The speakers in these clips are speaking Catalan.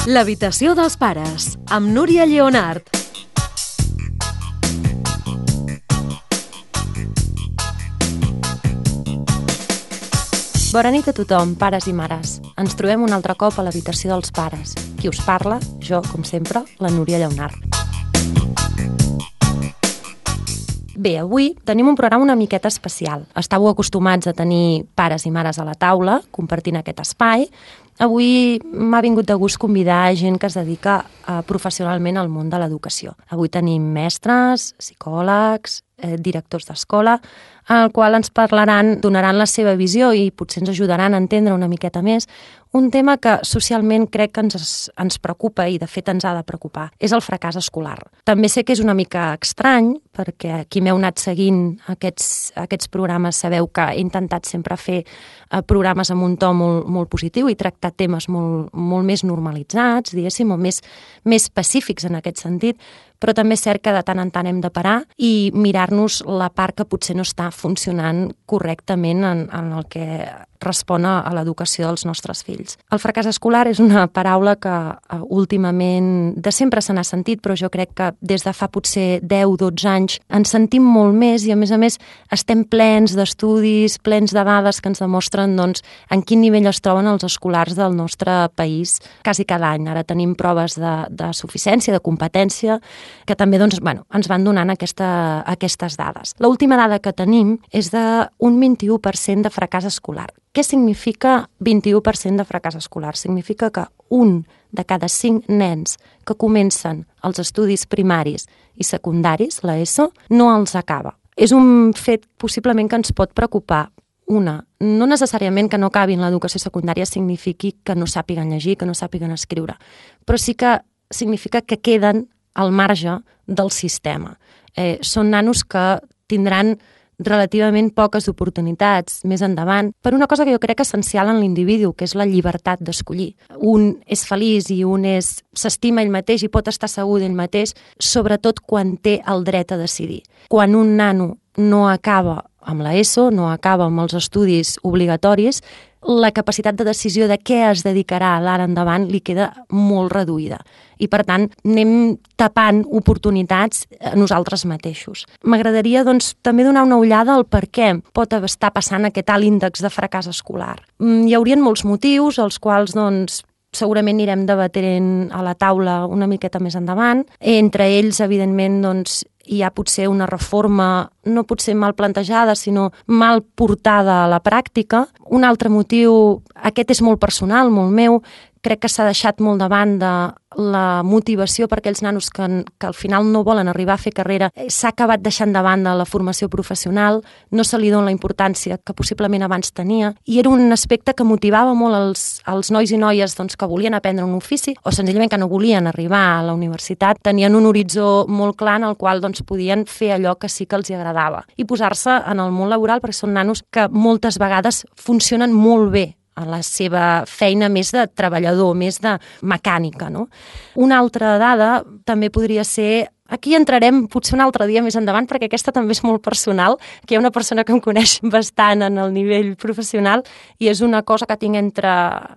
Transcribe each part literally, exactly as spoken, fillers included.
L'habitació dels pares, amb Núria Lleonart. Bona nit a tothom, pares i mares. Ens trobem un altre cop a l'habitació dels pares. Qui us parla? Jo, com sempre, la Núria Lleonart. Bé, avui tenim un programa una miqueta especial. Estàveu acostumats a tenir pares i mares a la taula, compartint aquest espai. Avui m'ha vingut de gust convidar gent que es dedica uh, professionalment al món de l'educació. Avui tenim mestres, psicòlegs, eh, directors d'escola, al qual ens parlaran, donaran la seva visió i potser ens ajudaran a entendre una miqueta més un tema que socialment crec que ens, ens preocupa i de fet ens ha de preocupar. És el fracàs escolar. També sé que és una mica estrany, perquè qui m'heu anat seguint aquests, aquests programes sabeu que he intentat sempre fer eh, programes amb un to molt, molt positiu i tractar temes molt, molt més normalitzats, diguéssim, o més, més específics en aquest sentit, però també és cert que de tant en tant hem de parar i mirar-nos la part que potser no està funcionant correctament en, en el que respon a l'educació dels nostres fills. El fracàs escolar és una paraula que uh, últimament de sempre se n'ha sentit, però jo crec que des de fa potser deu dotze anys ens sentim molt més i a més a més estem plens d'estudis, plens de dades que ens demostren doncs, en quin nivell es troben els escolars del nostre país quasi cada any. Ara tenim proves de, de suficiència, de competència, que també doncs, bueno, ens van donant aquesta, aquestes dades. L'última dada que tenim és d'un vint-i-u per cent de fracàs escolar. Què significa vint-i-u per cent de fracàs escolar? Significa que un de cada cinc nens que comencen els estudis primaris i secundaris, l'ESO, no els acaba. És un fet possiblement que ens pot preocupar. Una, no necessàriament que no acabin l'educació secundària signifiqui que no sàpiguen llegir, que no sàpiguen escriure, però sí que significa que queden al marge del sistema. Eh, són nanos que tindran relativament poques oportunitats més endavant per una cosa que jo crec essencial en l'individu, que és la llibertat d'escollir. Un és feliç i un és s'estima ell mateix i pot estar segur d'ell mateix, sobretot quan té el dret a decidir. Quan un nano no acaba amb l'ESO, no acaba amb els estudis obligatoris, la capacitat de decisió de què es dedicarà d'ara endavant li queda molt reduïda. I, per tant, anem tapant oportunitats a nosaltres mateixos. M'agradaria, doncs, també donar una ullada al per què pot estar passant aquest alt índex de fracàs escolar. Hi haurien molts motius, els quals, doncs, segurament anirem debatent a la taula una miqueta més endavant. Entre ells, evidentment, doncs, hi ha potser una reforma no potser mal plantejada, sinó mal portada a la pràctica. Un altre motiu, aquest és molt personal, molt meu, crec que s'ha deixat molt de banda la motivació per aquells nanos que, que al final no volen arribar a fer carrera. S'ha acabat deixant de banda la formació professional, no se li dona la importància que possiblement abans tenia, i era un aspecte que motivava molt els, els nois i noies doncs, que volien aprendre un ofici o senzillament que no volien arribar a la universitat, tenien un horitzó molt clar en el qual doncs, podien fer allò que sí que els agradava i posar-se en el món laboral, perquè són nanos que moltes vegades funcionen molt bé a la seva feina més de treballador, més de mecànica, no? Una altra dada també podria ser... Aquí entrarem potser un altre dia més endavant, perquè aquesta també és molt personal, que hi ha una persona que em coneix bastant en el nivell professional i és una cosa que tinc entre,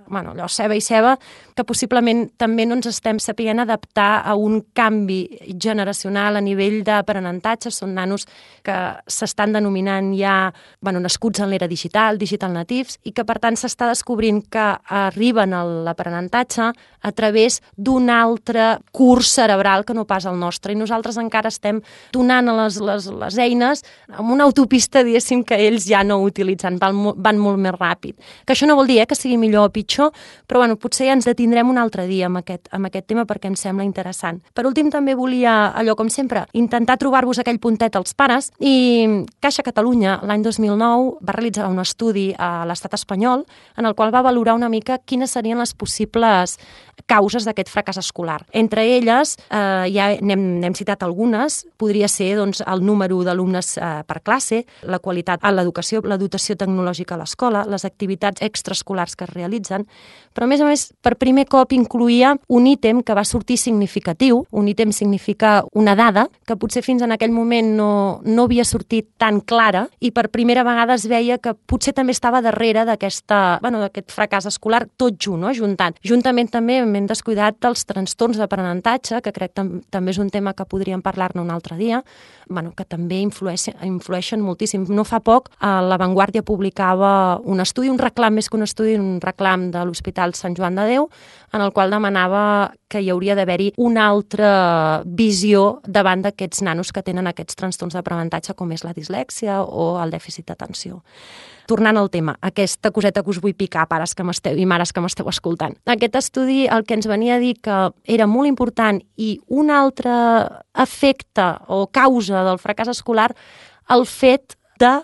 bueno, allò, ceba i ceba, que possiblement també no ens estem sapient adaptar a un canvi generacional a nivell d'aprenentatge. Són nanos que s'estan denominant ja, bueno, nascuts en l'era digital, digital natives, i que per tant s'està descobrint que arriben a l'aprenentatge a través d'un altre curs cerebral que no pas el nostre. I nosaltres encara estem donant les, les, les eines amb una autopista, diguéssim, que ells ja no utilitzen, van, van molt més ràpid. Que això no vol dir eh, que sigui millor o pitjor, però bueno, potser ja ens detindrem un altre dia amb aquest, amb aquest tema perquè em sembla interessant. Per últim, també volia, allò com sempre, intentar trobar-vos aquell puntet als pares, i Caixa Catalunya l'any dos mil nou va realitzar un estudi a l'estat espanyol en el qual va valorar una mica quines serien les possibles causes d'aquest fracàs escolar. Entre elles, eh, ja anem, anem n'hem citat algunes, podria ser doncs, el número d'alumnes eh, per classe, la qualitat a l'educació, la dotació tecnològica a l'escola, les activitats extraescolars que es realitzen, però a més a més per primer cop incluïa un ítem que va sortir significatiu. Un ítem significa una dada que potser fins en aquell moment no, no havia sortit tan clara i per primera vegada es veia que potser també estava darrere d'aquesta, bueno, d'aquest fracàs escolar tot junt, no? Juntant. Juntament també hem descuidat dels trastorns d'aprenentatge, que crec que també és un tema que podríem parlar-ne un altre dia, bueno, que també influeixen, influeixen moltíssim. No fa poc, a La Vanguardia publicava un estudi, un reclam més que un estudi, un reclam de l'Hospital Sant Joan de Déu, en el qual demanava que hi hauria d'haver-hi una altra visió davant d'aquests nanos que tenen aquests trastorns d'aprenentatge com és la dislèxia o el dèficit d'atenció. Tornant al tema, aquesta coseta que us vull picar, pares que m'esteu i mares que m'esteu escoltant. Aquest estudi el que ens venia a dir que era molt important i un altre efecte o causa del fracàs escolar, el fet de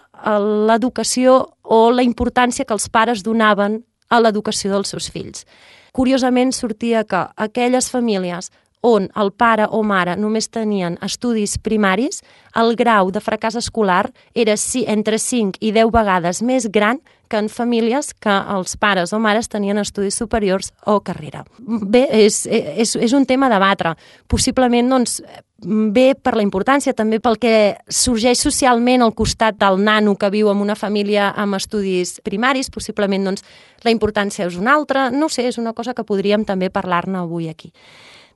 l'educació o la importància que els pares donaven a l'educació dels seus fills. Curiosament sortia que aquelles famílies on el pare o mare només tenien estudis primaris, el grau de fracàs escolar era entre cinc i deu vegades més gran que en famílies que els pares o mares tenien estudis superiors o carrera. Bé, és, és, és un tema a debatre. Possiblement, doncs, bé per la importància, també pel que sorgeix socialment al costat del nano que viu en una família amb estudis primaris, possiblement doncs, la importància és una altra. No sé, és una cosa que podríem també parlar-ne avui aquí.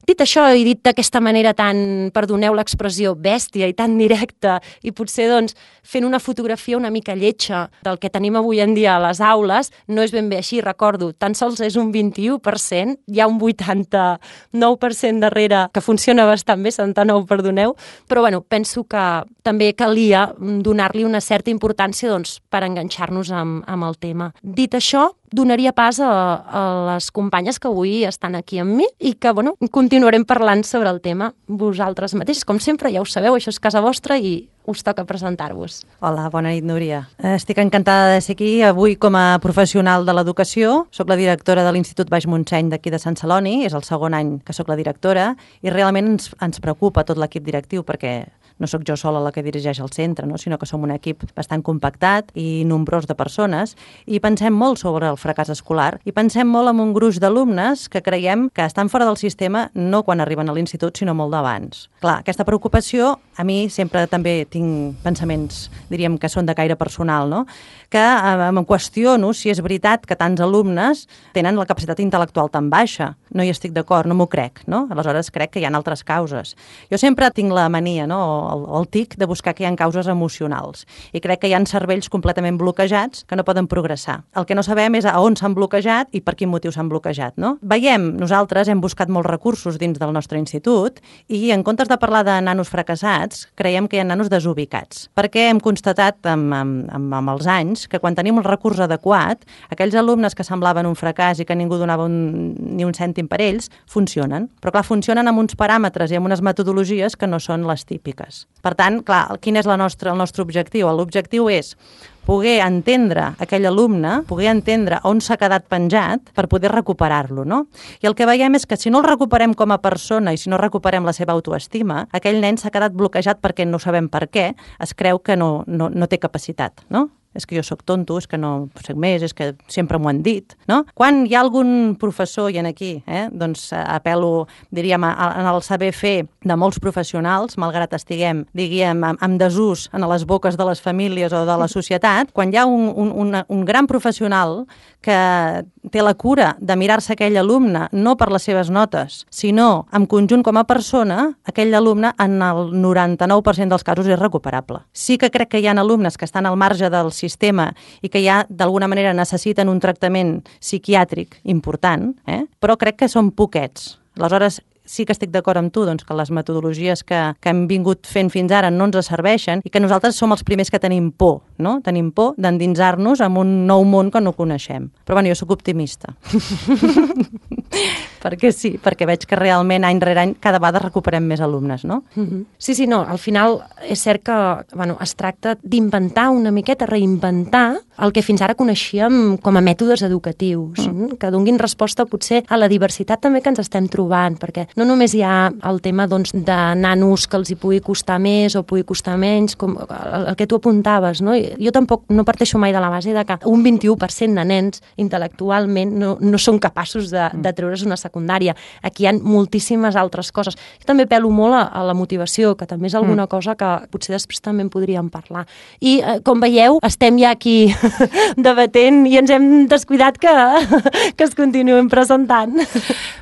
Dit això, i dit d'aquesta manera tan, perdoneu l'expressió, bèstia i tan directa, i potser doncs, fent una fotografia una mica lletja del que tenim avui en dia a les aules, no és ben bé així, recordo, tan sols és un vint-i-u per cent, hi ha un vuitanta-nou per cent darrere, que funciona bastant bé, setanta-nou, perdoneu, però bueno, penso que també calia donar-li una certa importància doncs, per enganxar-nos amb, amb el tema. Dit això, donaria pas a, a les companyes que avui estan aquí amb mi i que, bueno, continuarem parlant sobre el tema vosaltres mateixes. Com sempre, ja ho sabeu, això és casa vostra i us toca presentar-vos. Hola, bona nit, Núria. Estic encantada de ser aquí avui com a professional de l'educació. Soc la directora de l'Institut Baix Montseny d'aquí de Sant Celoni, és el segon any que sóc la directora i realment ens, ens preocupa tot l'equip directiu perquè no sóc jo sola la que dirigeix el centre, no? Sinó que som un equip bastant compactat i nombrós de persones i pensem molt sobre el fracàs escolar i pensem molt en un gruix d'alumnes que creiem que estan fora del sistema no quan arriben a l'institut, sinó molt d'abans. Clar, aquesta preocupació, a mi sempre també tinc pensaments, diríem que són de caire personal, no? Que eh, em qüestiono si és veritat que tants alumnes tenen la capacitat intel·lectual tan baixa. No hi estic d'acord, no m'ho crec, no? Aleshores crec que hi ha altres causes. Jo sempre tinc la mania, no? El, el tic de buscar que hi ha causes emocionals i crec que hi ha cervells completament bloquejats que no poden progressar. El que no sabem és a on s'han bloquejat i per quin motiu s'han bloquejat, no? Veiem, nosaltres hem buscat molts recursos dins del nostre institut i en comptes de parlar de nanos fracassats, creiem que hi ha nanos desubicats, perquè hem constatat amb, amb, amb, amb els anys que quan tenim un recurs adequat, aquells alumnes que semblaven un fracàs i que ningú donava un, ni un cèntim per ells, funcionen. Però clar, funcionen amb uns paràmetres i amb unes metodologies que no són les típiques. Per tant, clar, quin és la nostra, el nostre objectiu? L'objectiu és poder entendre aquell alumne, poder entendre on s'ha quedat penjat per poder recuperar-lo, no? I el que veiem és que si no el recuperem com a persona i si no recuperem la seva autoestima, aquell nen s'ha quedat bloquejat perquè no sabem per què, es creu que no, no, no té capacitat, no? És que jo sóc tonto, és que no sé més, és que sempre m'ho han dit, no? Quan hi ha algun professor, i en aquí, eh, doncs apel·lo, diríem, en el saber fer de molts professionals, malgrat estiguem, diríem, amb desús en les boques de les famílies o de la societat, quan hi ha un, un, un, un gran professional que té la cura de mirar-se aquell alumne, no per les seves notes, sinó en conjunt com a persona, aquell alumne en el noranta-nou per cent dels casos és recuperable. Sí que crec que hi ha alumnes que estan al marge del sistema i que ja d'alguna manera necessiten un tractament psiquiàtric important, eh? Però crec que són poquets. Aleshores, sí que estic d'acord amb tu, doncs, que les metodologies que, que hem vingut fent fins ara no ens serveixen i que nosaltres som els primers que tenim por, no? Tenim por d'endinsar-nos en un nou món que no coneixem. Però bueno, jo sóc optimista. Perquè sí, perquè veig que realment any rere any cada vegada recuperem més alumnes, no? Mm-hmm. Sí, sí, no, al final és cert que bueno, es tracta d'inventar una miqueta, reinventar el que fins ara coneixíem com a mètodes educatius, mm. que donguin resposta potser a la diversitat també que ens estem trobant, perquè no només hi ha el tema doncs, de nanos que els hi pugui costar més o pugui costar menys, com el, el que tu apuntaves, no? Jo tampoc no parteixo mai de la base de que un vint-i-u per cent de nens intel·lectualment no, no són capaços de, de treure's una secundària. Aquí hi ha moltíssimes altres coses. Jo també pelo molt a, a la motivació, que també és alguna mm. cosa que potser després també en podríem parlar. I, eh, com veieu, estem ja aquí debatent i ens hem descuidat que, que es continuem presentant.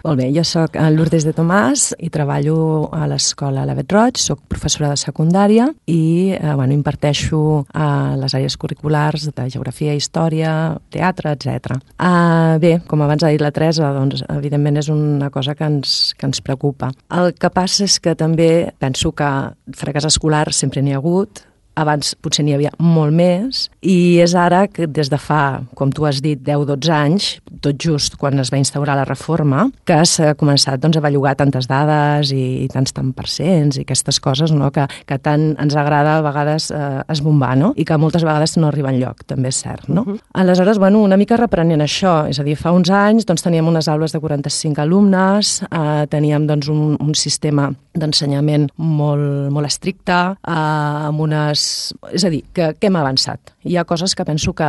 Molt bé, jo soc Lourdes de Tomàs i treballo a l'escola Lavet Roig, soc professora de secundària i eh, bueno, imparteixo a les àrees curriculars de geografia, història, teatre, etcètera. Uh, bé, com abans ha dit la Teresa, doncs, evidentment és una cosa que ens, que ens preocupa. El que passa és que també penso que fracàs escolar sempre n'hi ha hagut, abans potser n'hi havia molt més, i és ara que des de fa, com tu has dit, deu dotze anys, tot just quan es va instaurar la reforma, que s'ha començat doncs, a bellugar tantes dades i, i tants tant percents i aquestes coses, no? que, que tant ens agrada a vegades eh, esbombar, no? I que moltes vegades no arriba enlloc, també és cert. No? Uh-huh. Aleshores, bueno, una mica reprenent això, és a dir, fa uns anys doncs, teníem unes aules de quaranta-cinc alumnes, eh, teníem doncs, un, un sistema d'ensenyament molt, molt estricte, eh, amb unes... És a dir, que, que hem avançat. Hi ha coses que penso que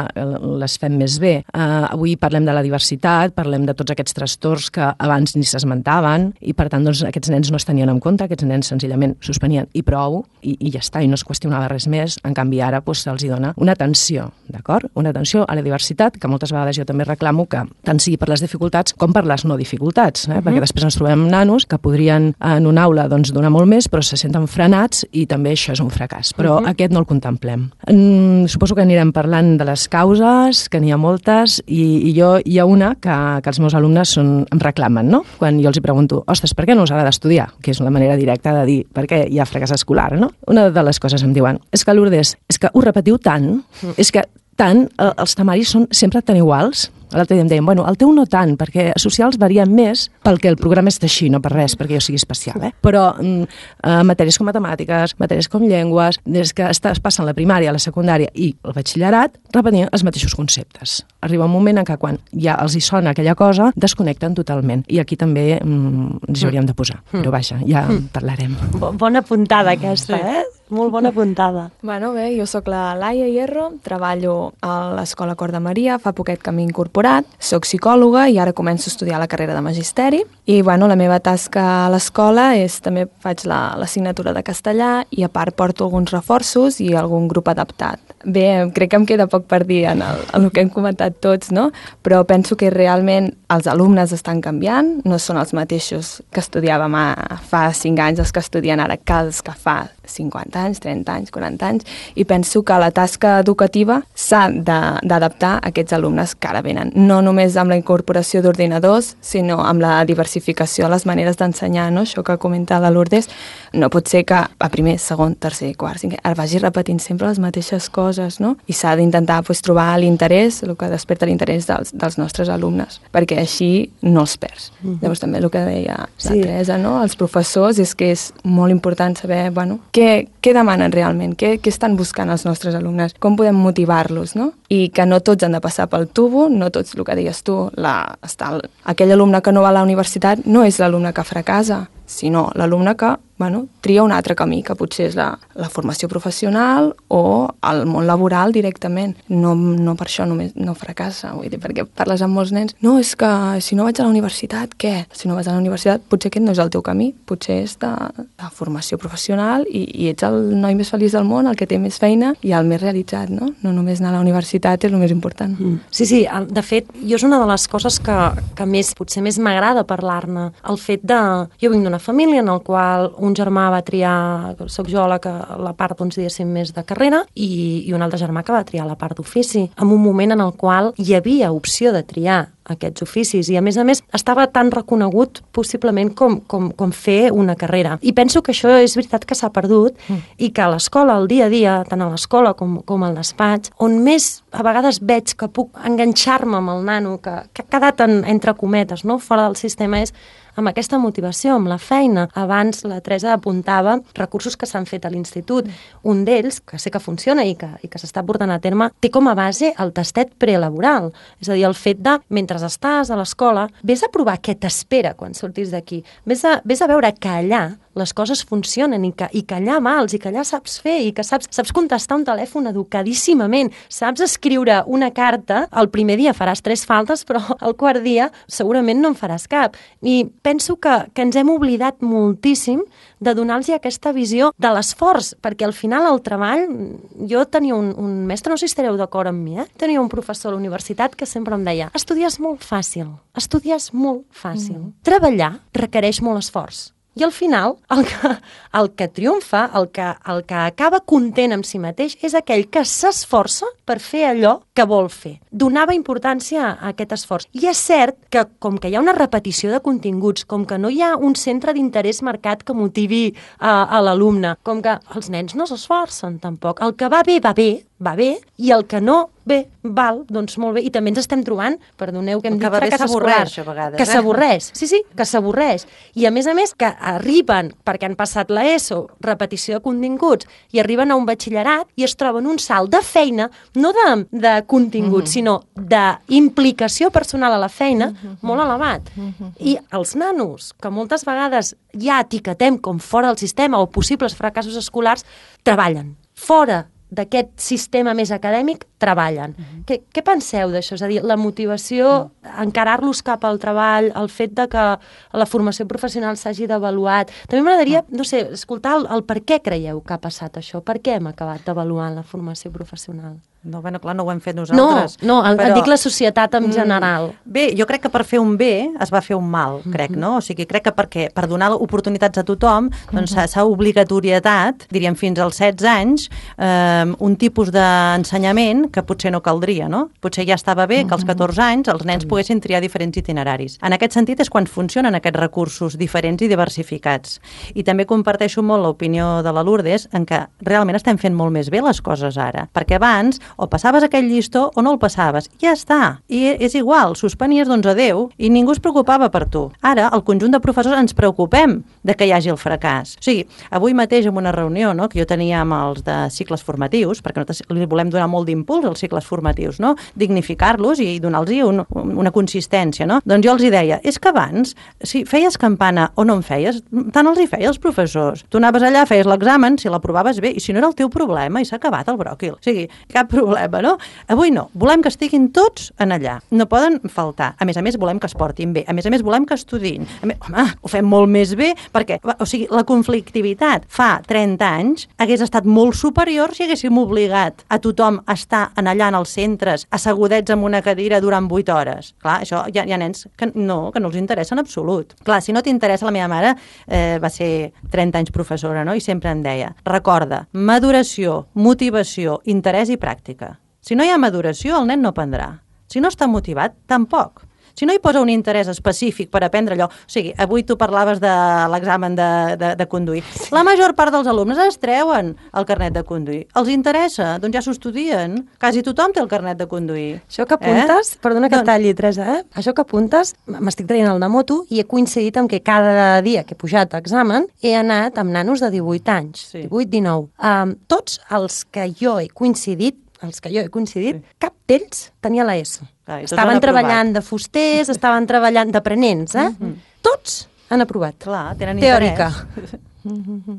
les fem més bé. Uh, avui parlem de la diversitat, parlem de tots aquests trastorns que abans ni s'esmentaven i, per tant, doncs, aquests nens no es tenien en compte, aquests nens senzillament suspenien i prou, i, i ja està, i no es qüestionava res més. En canvi, ara doncs, se'ls dona una atenció, d'acord? Una atenció a la diversitat, que moltes vegades jo també reclamo que tant sigui per les dificultats com per les no dificultats, eh? Uh-huh. Perquè després ens trobem nanos que podrien en una aula doncs, donar molt més, però se senten frenats i també això és un fracàs. Però uh-huh. aquest no el contemplem. Mm, suposo que anirem parlant de les causes, que n'hi ha moltes, i, i jo hi ha una que, que els meus alumnes són, em reclamen, no? Quan jo els hi pregunto, ostres, per què no us agrada estudiar? Que és una manera directa de dir per què hi ha fracàs escolar, no? Una de les coses em diuen, és que Lourdes, és que ho repetiu tant, mm. és que tant, els temaris són sempre tan iguals. L'altre dia em deien, bueno, el teu no tant, perquè socials varien més pel que el programa és així, no per res, perquè jo sigui especial, eh? Però mm, eh, matèries com matemàtiques, matèries com llengües, des que estàs passant la primària, la secundària i el batxillerat, repetint els mateixos conceptes. Arriba un moment en què quan ja els hi sona aquella cosa, desconnecten totalment. I aquí també mm, ens hi hauríem de posar. Mm. Però vaja, ja mm. parlarem. Bona puntada aquesta, sí. eh? Molt bona puntada. Bueno, bé, jo sóc la Laia Hierro, treballo a l'Escola Cor de Maria, fa poquet que m'he incorporat, soc psicòloga i ara començo a estudiar la carrera de magisteri i bueno, la meva tasca a l'escola és també faig l'assignatura la, de castellà i a part porto alguns reforços i algun grup adaptat. Bé, crec que em queda poc per dir en el, en el que hem comentat tots, no? Però penso que realment els alumnes estan canviant, no són els mateixos que estudiàvem a, fa cinc anys, els que estudien ara que els que fa cinquanta anys, trenta anys, quaranta anys, i penso que la tasca educativa s'ha d'adaptar a aquests alumnes que ara venen, no només amb la incorporació d'ordinadors, sinó amb la diversificació a les maneres d'ensenyar, no? Això que comenta la Lourdes, no pot ser que a primer, segon, tercer, quart, cinquè, ara vagi repetint sempre les mateixes coses, no? I s'ha d'intentar pues, trobar l'interès, el que desperta l'interès dels, dels nostres alumnes, perquè així no els perds. Mm-hmm. Llavors també el que deia la sí. Teresa, no? Els professors, és que és molt important saber, bueno, què, què demanen realment, què, què estan buscant els nostres alumnes, com podem motivar-los, no? I que no tots han de passar pel tubo, no tots, el que deies tu, la, està el, aquell alumne que no va a la universitat no és l'alumne que fracassa, sinó l'alumne que bueno, tria un altre camí, que potser és la, la formació professional o el món laboral directament. No, no per això només no fracassa, vull dir, perquè parles amb molts nens, no, és que si no vaig a la universitat, què? Si no vas a la universitat, potser aquest no és el teu camí, potser és de, de formació professional i, i ets el noi més feliç del món, el que té més feina i el més realitzat, no? No només anar a la universitat és el més important. Mm. Sí, sí, de fet, jo és una de les coses que, que més, potser més m'agrada parlar-ne, el fet de... Jo vinc d'una família en el qual un germà va triar, soc jo la, que, la part, doncs, diguéssim, més de carrera i, i un altre germà que va triar la part d'ofici, en un moment en el qual hi havia opció de triar aquests oficis i, a més a més, estava tan reconegut possiblement com, com, com fer una carrera. I penso que això és veritat que s'ha perdut mm. i que a l'escola, al dia a dia, tant a l'escola com, com al despatx, on més a vegades veig que puc enganxar-me amb el nano que, que ha quedat en, entre cometes, no? Fora del sistema, és amb aquesta motivació, amb la feina. Abans la Teresa apuntava recursos que s'han fet a l'institut. Un d'ells, que sé que funciona i que, i que s'està portant a terme, té com a base el tastet prelaboral. És a dir, el fet de, mentre mentre estàs a l'escola, vés a provar què t'espera quan surtis d'aquí. Vés a, vés a veure que allà les coses funcionen i que, i que allà mals i que allà saps fer i que saps, saps contestar un telèfon educadíssimament, saps escriure una carta, el primer dia faràs tres faltes, però el quart dia segurament no en faràs cap. I penso que, que ens hem oblidat moltíssim de donar-los aquesta visió de l'esforç, perquè al final el treball, jo tenia un, un mestre, no sé si estareu d'acord amb mi, eh? Tenia un professor a la universitat que sempre em deia, estudiar és molt fàcil, estudiar és molt fàcil, mm. treballar requereix molt esforç. I al final, el que, el que triomfa, el que, el que acaba content amb si mateix, és aquell que s'esforça per fer allò que vol fer. Donava importància a aquest esforç. I és cert que, com que hi ha una repetició de continguts, com que no hi ha un centre d'interès marcat que motivi a, a l'alumne, com que els nens no s'esforcen tampoc. El que va bé, va bé, va bé, i el que no, bé, val, doncs molt bé. I també ens estem trobant, perdoneu que hem dit fracàs escolar, a vegades, que eh? s'avorreix, sí, sí, que s'avorreix. I a més a més que arriben, perquè han passat l'ESO, repetició de continguts, i arriben a un batxillerat i es troben un salt de feina, no de, de continguts, mm-hmm. sinó d'implicació personal a la feina, mm-hmm. molt elevat. Mm-hmm. I els nanos, que moltes vegades ja etiquetem com fora del sistema o possibles fracassos escolars, treballen fora d'aquest sistema més acadèmic, treballen. Uh-huh. Què, què penseu d'això? És a dir, la motivació, uh-huh. encarar-los cap al treball, el fet de que la formació professional s'hagi d'avaluat. També m'agradaria, uh-huh. no sé, escoltar el, el per què creieu que ha passat això? Per què hem acabat d'avaluar la formació professional? No, bueno, clar, no ho hem fet nosaltres. No, no, però... dic la societat en general. Bé, jo crec que per fer un bé es va fer un mal, crec, no? O sigui, crec que perquè, per donar oportunitats a tothom, doncs s'ha obligatorietat, diríem fins als setze anys, eh, un tipus d'ensenyament que potser no caldria, no? Potser ja estava bé que als catorze anys els nens poguessin triar diferents itineraris. En aquest sentit és quan funcionen aquests recursos diferents i diversificats. I també comparteixo molt l'opinió de la Lourdes en que realment estem fent molt més bé les coses ara, perquè abans o passaves aquell llistó o no el passaves. Ja està. I és igual, suspenies d'onze a deu i ningú es preocupava per tu. Ara, el conjunt de professors ens preocupem de que hi hagi el fracàs. O sigui, avui mateix en una reunió, no?, que jo tenia amb els de cicles formatius, perquè nosaltres li volem donar molt d'impuls als cicles formatius, no?, dignificar-los i donar-los un, una consistència, no? Doncs jo els hi deia, és que abans, si feies campana o no en feies, tant els hi feia els professors. Tu anaves allà, feies l'examen, si l'aprovaves bé, i si no era el teu problema, i s'ha acabat el bròquil. O sigui, cap problema. problema, no? Avui no. Volem que estiguin tots en allà. No poden faltar. A més a més, volem que es portin bé. A més a més, volem que estudiïn. A més, home, ho fem molt més bé perquè, o sigui, la conflictivitat fa trenta anys hagués estat molt superior si haguéssim obligat a tothom a estar en allà en els centres, assegudets en una cadira durant vuit hores. Clar, això hi ha, hi ha nens que no, que no els interessa en absolut. Clar, si no t'interessa, la meva mare eh, va ser trenta anys professora, no?, i sempre em deia, recorda, maduració, motivació, interès i pràctica. Si no hi ha maduració, el nen no aprendrà. Si no està motivat, tampoc. Si no hi posa un interès específic per aprendre allò... O sigui, avui tu parlaves de l'examen de, de, de conduir. La major part dels alumnes es treuen el carnet de conduir. Els interessa? Doncs ja s'ho estudien. Quasi tothom té el carnet de conduir. Això que apuntes... Eh? Perdona que doncs... et talli, Teresa, eh? Això que apuntes, m'estic traient el de moto i he coincidit amb que cada dia que he pujat a examen he anat amb nanos de divuit anys, sí. divuit, dinou. Um, tots els que jo he coincidit els que jo he coincidit, sí. cap d'ells tenia l'ESO. Ah, estaven treballant de fusters, estaven treballant d'aprenents, eh? Mm-hmm. Tots han aprovat. Clar, tenen teòrica. Interès.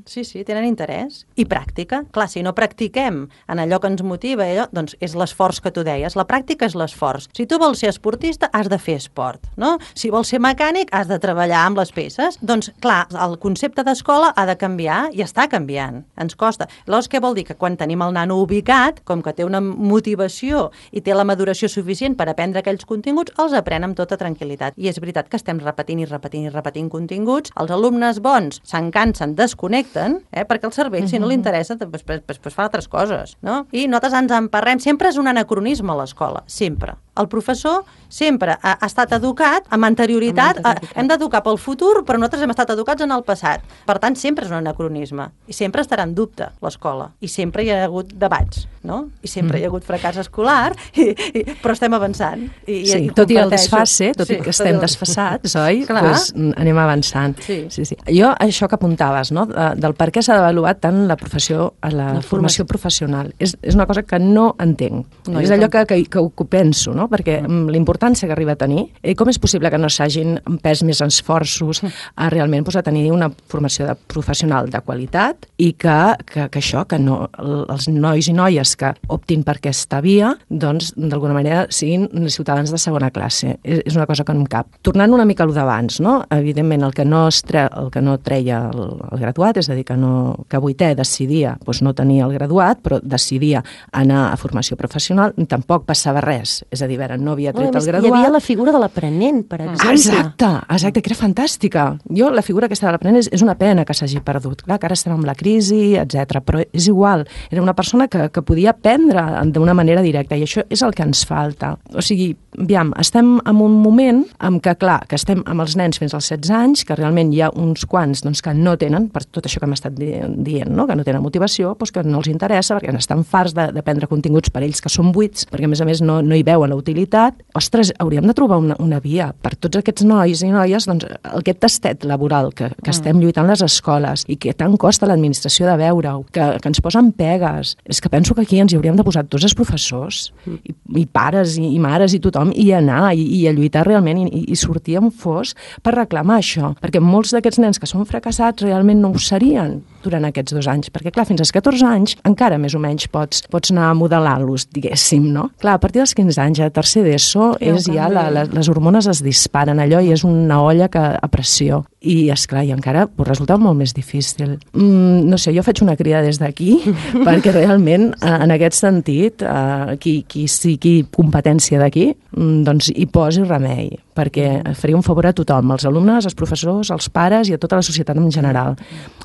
Sí, sí, tenen interès. I pràctica. Clar, si no practiquem en allò que ens motiva, allò, doncs és l'esforç que tu deies. La pràctica és l'esforç. Si tu vols ser esportista, has de fer esport, no? Si vols ser mecànic, has de treballar amb les peces. Doncs, clar, el concepte d'escola ha de canviar i està canviant. Ens costa. Llavors, què vol dir? Que quan tenim el nano ubicat, com que té una motivació i té la maduració suficient per aprendre aquells continguts, els aprèn amb tota tranquil·litat. I és veritat que estem repetint i repetint i repetint continguts. Els alumnes bons se'n cansen, desconnecten, eh, perquè el cervell, si no li interessa, pues, pues, pues fa altres coses, no? I nosaltres ens emparrem. Sempre és un anacronisme a l'escola, sempre. El professor sempre ha, ha estat educat amb anterioritat, amb anterioritat. A, hem d'educar pel futur, però nosaltres hem estat educats en el passat. Per tant, sempre és un anacronisme. I sempre estarà en dubte l'escola. I sempre hi ha hagut debats, no? I sempre mm. hi ha hagut fracàs escolar, i, i, però estem avançant. I, sí, i tot i el desfase, tot sí, i que estem desfasats, oi? Clar. Pues, anem avançant. Sí. Sí, sí. Jo, això que apuntaves, no? Del per què s'ha d'avaluar tant la professió, la, la formació professional. És, és una cosa que no entenc. No, és allò que, que, que ho penso, no? no? Perquè mm. l'importància que arriba a tenir, eh, com és possible que no s'hagin pres més esforços a realment pues, a tenir una formació de professional de qualitat i que, que, que això, que no, els nois i noies que optin per aquesta via, doncs, d'alguna manera, siguin ciutadans de segona classe. És, és una cosa que no em cap. Tornant una mica a lo d'abans, no? Evidentment, el que no, tre, el que no treia el, el graduat, és a dir, que, no, que vuitè decidia doncs, no tenir el graduat, però decidia anar a formació professional, tampoc passava res. És a dir, veure, no havia tret no, el graduat. Hi havia la figura de l'aprenent, per exemple. Exacte, exacte, que era fantàstica. Jo, la figura aquesta de l'aprenent és, és una pena que s'hagi perdut. Clar, que ara estem amb la crisi, etcètera, però és igual. Era una persona que, que podia aprendre d'una manera directa i això és el que ens falta. O sigui, aviam, estem en un moment en què, clar, que estem amb els nens fins als setze anys, que realment hi ha uns quants doncs, que no tenen, per tot això que hem estat dient, no? Que no tenen motivació, doncs que no els interessa, perquè estan farts de, de prendre continguts per ells que són buits, perquè a més a més no, no hi veuen la utilitat. Ostres, hauríem de trobar una, una via per tots aquests nois i noies, doncs, aquest tastet laboral que, que mm. estem lluitant les escoles i que tant costa l'administració de veure-ho, que, que ens posen pegues. És que penso que aquí ens hi hauríem de posar tots els professors, mm. i, i pares, i, i mares, i tothom, i anar, i, i a lluitar realment, i, i sortir en fos per reclamar això. Perquè molts d'aquests nens que són fracassats realment no ho serien durant aquests dos anys, perquè clar, fins als catorze anys encara més o menys pots, pots anar modelant-los, diguéssim, no? Clar, a partir dels quinze anys, a tercer d'ESO, és ja la, la, les hormones es disparen, allò i és una olla que, a pressió. I, esclar, i encara pues, resulta molt més difícil. Mm, no sé, jo faig una crida des d'aquí, perquè realment, en aquest sentit, eh, qui, qui sigui competència d'aquí, mm, doncs hi posi remei, perquè faria un favor a tothom, als alumnes, als professors, als pares i a tota la societat en general.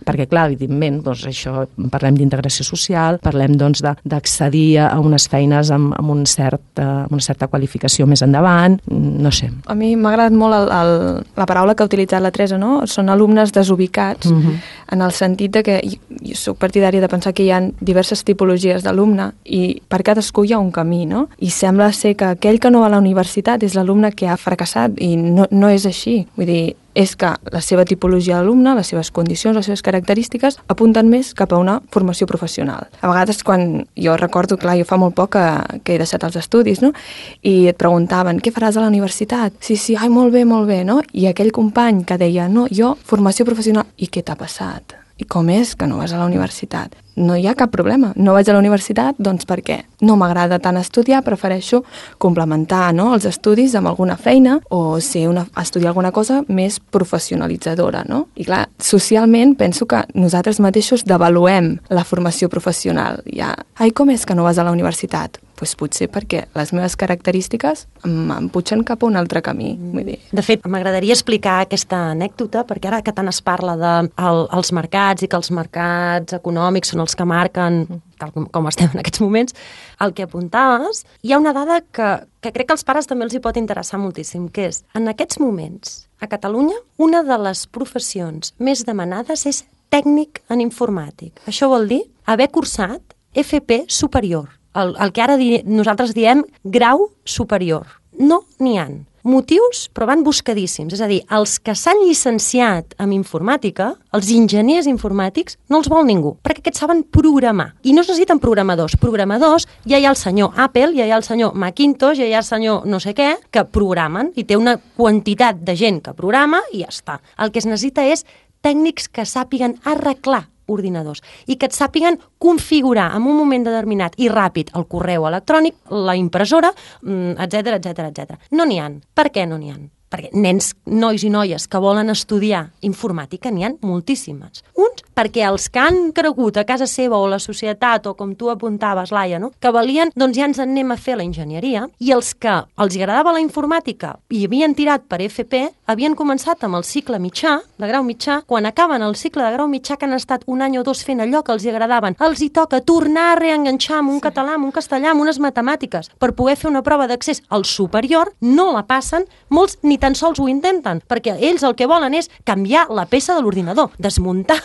Perquè, clar, evidentment, doncs, això, parlem d'integració social, parlem doncs, d'accedir a unes feines amb, amb, un cert, amb una certa qualificació més endavant, no sé. A mi m'ha agradat molt el, el, la paraula que ha utilitzat la Teresa, no? Són alumnes desubicats, uh-huh. en el sentit de que jo, jo soc partidària de pensar que hi ha diverses tipologies d'alumne i per cadascú hi ha un camí, no? I sembla ser que aquell que no va a la universitat és l'alumne que ha fracassat i no, no és així. Vull dir, és que la seva tipologia d'alumne, les seves condicions, les seves característiques apunten més cap a una formació professional. A vegades quan jo recordo, clar, jo fa molt poc que, que he deixat els estudis, no? I et preguntaven, què faràs a la universitat? Sí, sí, ai, molt bé, molt bé, no? I aquell company que deia, no, jo, formació professional, i què t'ha passat? I com és que no vas a la universitat? No hi ha cap problema. No vaig a la universitat, doncs per què? No m'agrada tant estudiar, prefereixo complementar, no, els estudis amb alguna feina o ser una, estudiar alguna cosa més professionalitzadora, no? I clar, socialment penso que nosaltres mateixos devaluem la formació professional. Ja, ai, com és que no vas a la universitat? Doncs potser perquè les meves característiques em pugen cap a un altre camí. Vull dir. De fet, m'agradaria explicar aquesta anècdota, perquè ara que tant es parla dels de els mercats i que els mercats econòmics són els que marquen, tal com, com estem en aquests moments, el que apuntaves, hi ha una dada que, que crec que als pares també els hi pot interessar moltíssim, que és, en aquests moments, a Catalunya, una de les professions més demanades és tècnic en informàtic. Això vol dir haver cursat F P superior. El, el que ara di, nosaltres diem grau superior. No n'hi ha. Motius, però van buscadíssims. És a dir, els que s'han llicenciat en informàtica, els enginyers informàtics, no els vol ningú, perquè aquests saben programar. I no es necessiten programadors. Programadors, ja hi ha el senyor Apple, ja hi ha el senyor Macintosh, ja hi ha el senyor no sé què, que programen, i té una quantitat de gent que programa i ja està. El que es necessita és tècnics que sàpiguen arreglar ordinadors i que et sàpiguen configurar en un moment determinat i ràpid el correu electrònic, la impressora, etcètera, etcètera, etcètera. No n'hi ha. Per què no n'hi ha? Perquè nens, nois i noies que volen estudiar informàtica n'hi ha moltíssimes. Uns, perquè els que han cregut a casa seva o la societat, o com tu apuntaves, Laia, no? Que valien, doncs ja ens en anem a fer la enginyeria, i els que els agradava la informàtica i havien tirat per F P, havien començat amb el cicle mitjà, de grau mitjà, quan acaben el cicle de grau mitjà, que han estat un any o dos fent allò que els agradaven, els hi toca tornar a reenganxar amb un català, amb un castellà, amb unes matemàtiques, per poder fer una prova d'accés al superior, no la passen, molts ni tan sols ho intenten, perquè ells el que volen és canviar la peça de l'ordinador, desmuntar.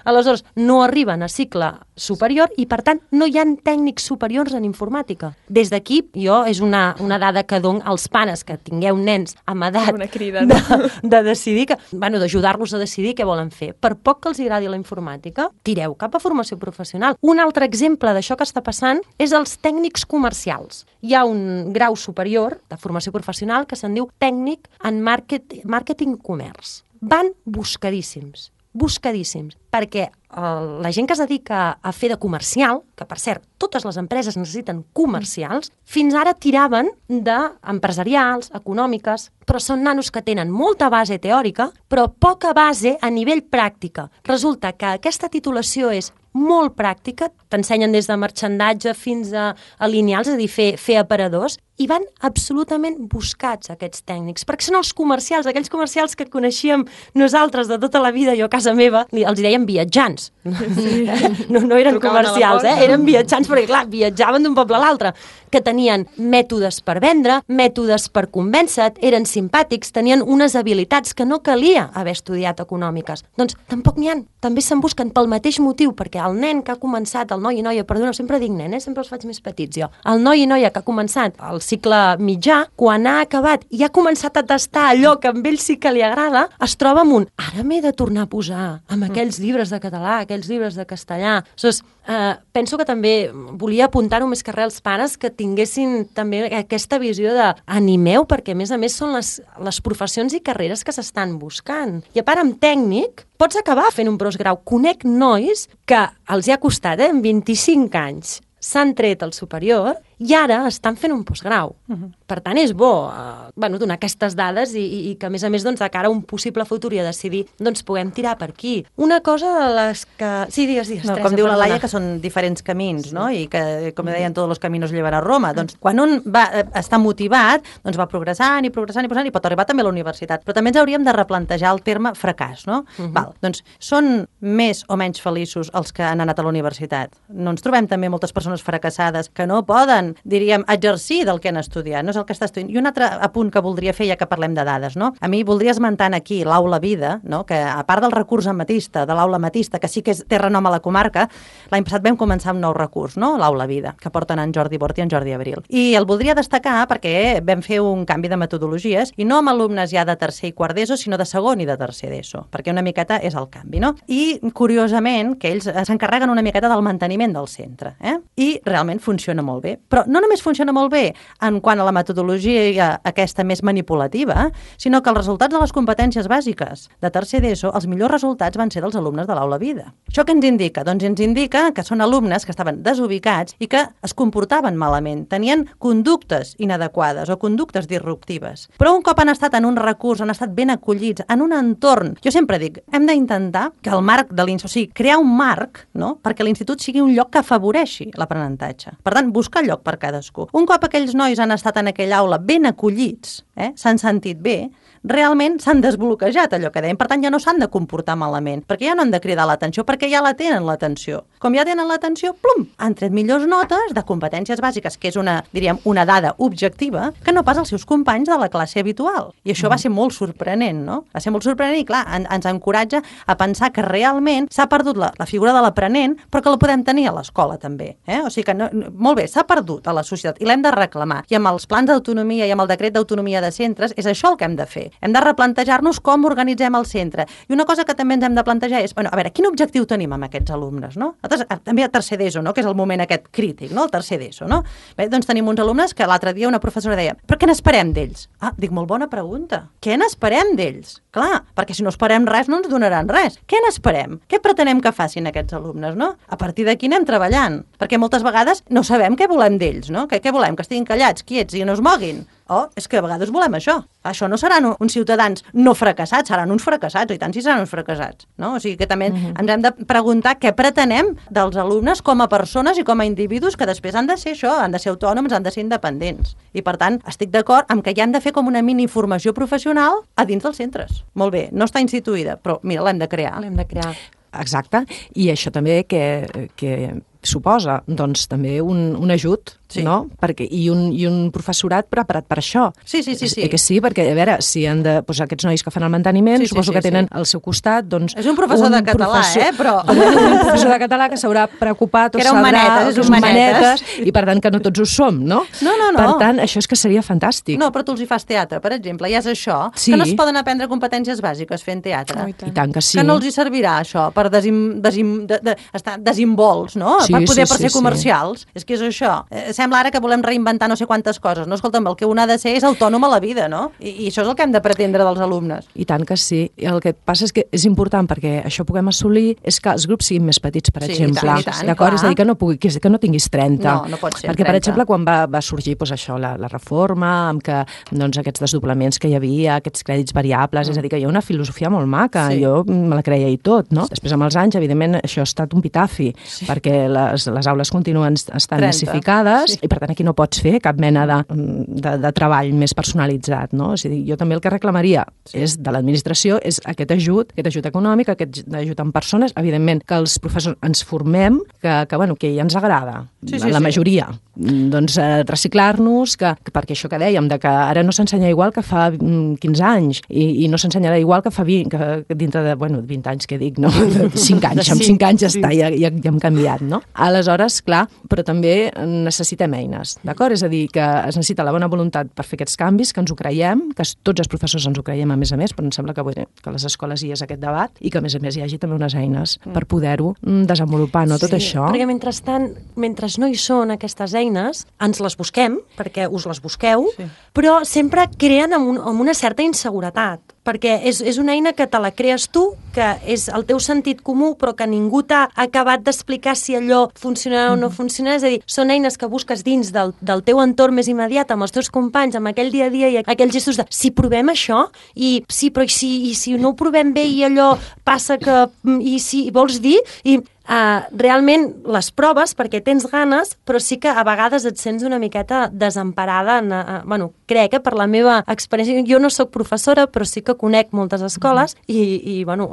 Aleshores, no arriben a cicle superior i, per tant, no hi ha tècnics superiors en informàtica. Des d'aquí, jo, és una, una dada que dono als pares que tingueu nens amb edat Una crida, no? de, de decidir, que, bueno, d'ajudar-los a decidir què volen fer. Per poc que els agradi la informàtica, tireu cap a formació professional. Un altre exemple d'això que està passant és els tècnics comercials. Hi ha un grau superior de formació professional que se'n diu tècnic en market, màrqueting i comerç. Van buscadíssims, buscadíssims, perquè el, la gent que es dedica a fer de comercial, que per cert, totes les empreses necessiten comercials, fins ara tiraven d'empresarials, econòmiques, però són nanos que tenen molta base teòrica, però poca base a nivell pràctica. Resulta que aquesta titulació és molt pràctica, t'ensenyen des de marxandatge fins a, a lineals, és a dir, fer, fer aparadors, i van absolutament buscats aquests tècnics, perquè són els comercials, aquells comercials que coneixíem nosaltres de tota la vida, jo a casa meva, els deien viatjants. Sí. No, no eren Trucaven comercials, eh? Eren viatjants, perquè clar, viatjaven d'un poble a l'altre, que tenien mètodes per vendre, mètodes per convèncer, eren simpàtics, tenien unes habilitats que no calia haver estudiat econòmiques. Doncs tampoc n'hi ha, també se'n busquen pel mateix motiu, perquè el nen que ha començat, el noi i noia, perdona, sempre dic nen, eh? Sempre els faig més petits jo, el noi i noia que ha començat el cicle mitjà, quan ha acabat i ha començat a tastar allò que a ell sí que li agrada, es troba amb un, ara m'he de tornar a posar amb aquells llibres de català, aquells llibres de castellà. Aleshores, eh, penso que també volia apuntar-ho més que res als pares que tinguessin també aquesta visió de animeu, perquè a més a més són les, les professions i carreres que s'estan buscant. I a part, amb tècnic, pots acabar fent un postgrau. Conec nois que els hi ha costat, eh, en vint-i-cinc anys, s'han tret al superior i ara estan fent un postgrau. Uh-huh. Per tant, és bo eh, bueno, donar aquestes dades i, i, i que, a més a més, doncs, de cara a un possible futur i a decidir, doncs, puguem tirar per aquí. Una cosa de les que... Sí, digues, digues, no, Teresa, com diu la perdona. Laia, que són diferents camins, sí. No? I que, com deien, tots els caminos llevan a Roma. Doncs, quan un va, està motivat, doncs va progressant i progressant i progressant i pot arribar també a la universitat. Però també ens hauríem de replantejar el terme fracàs, no? Uh-huh. Val, doncs, són més o menys feliços els que han anat a la universitat. No ens trobem també moltes persones fracassades que no poden, diríem, exercir del que han estudiat, no és el que està estudiant. I un altre apunt que voldria fer, ja que parlem de dades, no? A mi voldria esmentar aquí l'Aula Vida, no? Que a part del recurs ametista, de l'Aula Ametista, que sí que és, té renom a la comarca, l'any passat vam començar un nou recurs, no? L'Aula Vida, que porten en Jordi Bort i en Jordi Abril. I el voldria destacar perquè vam fer un canvi de metodologies, i no amb alumnes ja de tercer i quart d'ESO, sinó de segon i de tercer d'ESO, perquè una miqueta és el canvi, no? I, curiosament, que ells s'encarreguen una miqueta del manteniment del centre, eh? I realment funciona molt bé. Però no només funciona molt bé en quant a la metodologia aquesta més manipulativa, sinó que els resultats de les competències bàsiques de tercer d'ESO, els millors resultats van ser dels alumnes de l'Aula Vida. Això què ens indica? Doncs ens indica que són alumnes que estaven desubicats i que es comportaven malament, tenien conductes inadequades o conductes disruptives. Però un cop han estat en un recurs, han estat ben acollits, en un entorn, jo sempre dic, hem d'intentar que el marc de l'institut, o sigui, crear un marc, no?, perquè l'institut sigui un lloc que afavoreixi l'aprenentatge. Per tant, buscar lloc per cadascú. Un cop aquells nois han estat en aquella aula ben acollits, eh, s'han sentit bé, realment s'han desbloquejat allò que dèiem. Per tant, ja no s'han de comportar malament, perquè ja no han de cridar l'atenció, perquè ja la tenen l'atenció. Com ja tenen l'atenció, plum, han tret millors notes de competències bàsiques, que és una, diríem, una dada objectiva, que no pas els seus companys de la classe habitual. I això mm. va ser molt sorprenent, no? Va ser molt sorprenent i, clar, en, ens encoratja a pensar que realment s'ha perdut la, la figura de l'aprenent, però que la podem tenir a l'escola també. Eh? O sigui que, no, no, molt bé, s'ha perdut a la societat i l'hem de reclamar. I amb els plans d'autonomia i amb el decret d'autonomia de centres és això el que hem de fer. Hem de replantejar-nos com organitzem el centre. I una cosa que també ens hem de plantejar és, bueno, a veure, quin objectiu tenim amb aquests alumnes, no? Nosaltres, també a tercer d'ESO, no?, que és el moment aquest crític, no?, el tercer d'ESO, no? Bé, doncs tenim uns alumnes que l'altre dia una professora deia, però què n'esperem d'ells? Ah, dic, molt bona pregunta. Què n'esperem d'ells? Clar, perquè si no esperem res no ens donaran res. Què n'esperem? Què pretenem que facin aquests alumnes, no? A partir d'aquí anem treballant, perquè moltes vegades no sabem què volem d'ells, no? Què, què volem? Que estiguin callats, quiets i no es moguin? Oh, és que a vegades volem això. Això no seran uns ciutadans no fracassats, seran uns fracassats, i tant si seran uns fracassats, no? O sigui que també uh-huh. ens hem de preguntar què pretenem dels alumnes com a persones i com a individus que després han de ser això, han de ser autònoms, han de ser independents. I per tant, estic d'acord amb que hi han de fer com una mini formació professional a dins dels centres. Molt bé, no està instituïda, però mira, l'hem de crear. L'hem de crear. Exacte, i això també que, que suposa doncs, també un, un ajut sí. no? Perquè, i, un, I un professorat preparat per això. Sí, sí, sí. sí. Eh, que sí, perquè, a veure, si han de... Doncs aquests nois que fan el manteniment, sí, suposo sí, sí, que tenen sí. al seu costat, doncs... És un professor un de català, professor, eh? Però... Un professor de català que s'haurà preocupat o sabrà... Manetes, és un manetes. manetes. I, per tant, que no tots ho som, no? No, no, no. Per tant, això és que seria fantàstic. No, però tu els hi fas teatre, per exemple, ja és això, sí. que no es poden aprendre competències bàsiques fent teatre. Oh, i, tant. I tant que sí. Que no els hi servirà això per desim, desim, de, de, estar desimbolts, no? Sí, per poder sí, per ser sí, comercials. Sí. És que és això. Eh, sembla ara que volem reinventar no sé quantes coses. No, escolta'm, el que un ha de ser és autònom a la vida, no? I, i això és el que hem de pretendre dels alumnes. I tant que sí. I el que passa és que és important perquè això puguem assolir és que els grups siguin més petits, per sí, exemple. I tant, i tant, d'acord? És a dir, que no, pugui, que, que no tinguis trenta. No, no pot ser perquè, trenta. per exemple, quan va, va sorgir doncs, això, la, la reforma, amb que doncs, aquests desdoblaments que hi havia, aquests crèdits variables, mm. és a dir, que hi ha una filosofia molt maca, sí. jo me la creia i tot, no? Després, amb els anys, evidentment, això ha estat un pitafi, sí. perquè les, les aules continuen estant trenta massificades, sí. i per tant aquí no pots fer cap mena de, de, de treball més personalitzat, no? És a dir, jo també el que reclamaria sí. és de l'administració és aquest ajut, aquest ajut econòmic, aquest ajut en persones, evidentment que els professors ens formem, que, que, bueno, que ja ens agrada, sí, sí, la sí. majoria. Doncs eh, reciclar-nos, que, que perquè això que dèiem, de que ara no s'ensenya igual que fa quinze anys, i, i no s'ensenyarà igual que fa vint, que, que dintre de, bueno, vint anys que dic, no? cinc anys, amb cinc anys ja està, ja, ja, ja hem canviat, no? Aleshores, clar, però també necessitem eines, d'acord? És a dir, que es necessita la bona voluntat per fer aquests canvis, que ens ho creiem, que tots els professors ens ho creiem a més a més, però em sembla que, bueno, que a les escoles hi és aquest debat, i que a més a més hi hagi també unes eines mm. per poder-ho desenvolupar, no? Tot sí, això. Perquè mentrestant, mentre no hi són aquestes eines, ens les busquem, perquè us les busqueu, sí. però sempre creen amb, un, amb una certa inseguretat, perquè és, és una eina que te la crees tu, que és el teu sentit comú, però que ningú t'ha acabat d'explicar si allò funcionarà o no funcionarà. És a dir, són eines que busques dins del, del teu entorn més immediat, amb els teus companys, amb aquell dia a dia i aquells gestos de si provem això, i sí, però i si, i si no ho provem bé i allò passa que... i si vols dir... i Uh, realment les proves perquè tens ganes, però sí que a vegades et sents una miqueta desemparada en, uh, bueno, crec que per la meva experiència, jo no sóc professora però sí que conec moltes escoles mm. i, i bueno,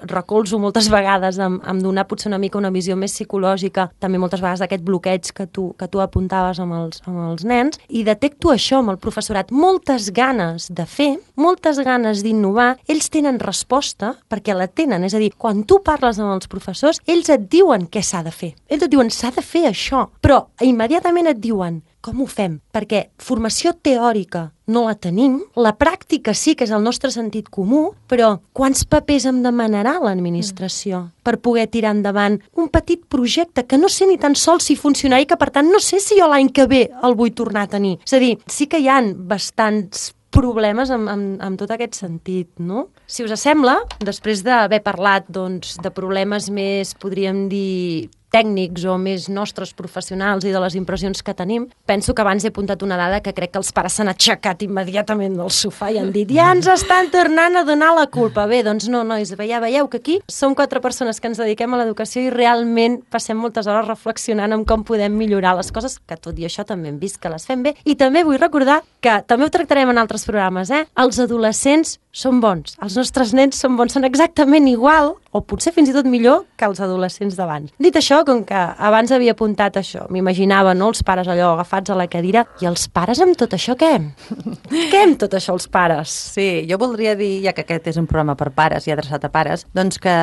recolzo moltes vegades amb, amb donar potser una mica una visió més psicològica, també moltes vegades d'aquest bloqueig que tu, que tu apuntaves amb els, amb els nens, i detecto això amb el professorat, moltes ganes de fer, moltes ganes d'innovar, ells tenen resposta perquè la tenen, és a dir, quan tu parles amb els professors, ells et diuen què s'ha de fer. Ells et diuen, s'ha de fer això, però immediatament et diuen, com ho fem? Perquè formació teòrica no la tenim, la pràctica sí que és el nostre sentit comú, però quants papers em demanarà l'administració mm. per poder tirar endavant un petit projecte que no sé ni tan sols si funcionarà i que, per tant, no sé si jo l'any que ve el vull tornar a tenir. És a dir, sí que hi ha bastants problemes amb, amb, amb tot aquest sentit, no? Si us sembla, després d'haver parlat doncs, de problemes més, podríem dir, tècnics o més nostres professionals i de les impressions que tenim, penso que abans he apuntat una dada que crec que els pares s'han aixecat immediatament del sofà i han dit ja ens estan tornant a donar la culpa. Bé, doncs no, nois, ja veieu que aquí som quatre persones que ens dediquem a l'educació i realment passem moltes hores reflexionant en com podem millorar les coses, que tot i això també hem vist que les fem bé. I també vull recordar que també ho tractarem en altres programes, eh? Els adolescents són bons, els nostres nens són bons, són exactament igual, o potser fins i tot millor que els adolescents d'abans. Dit això, com que abans havia apuntat això, m'imaginava, no?, els pares allò agafats a la cadira, i els pares amb tot això què? Què amb tot això els pares? Sí, jo voldria dir, ja que aquest és un programa per pares i adreçat a pares, doncs que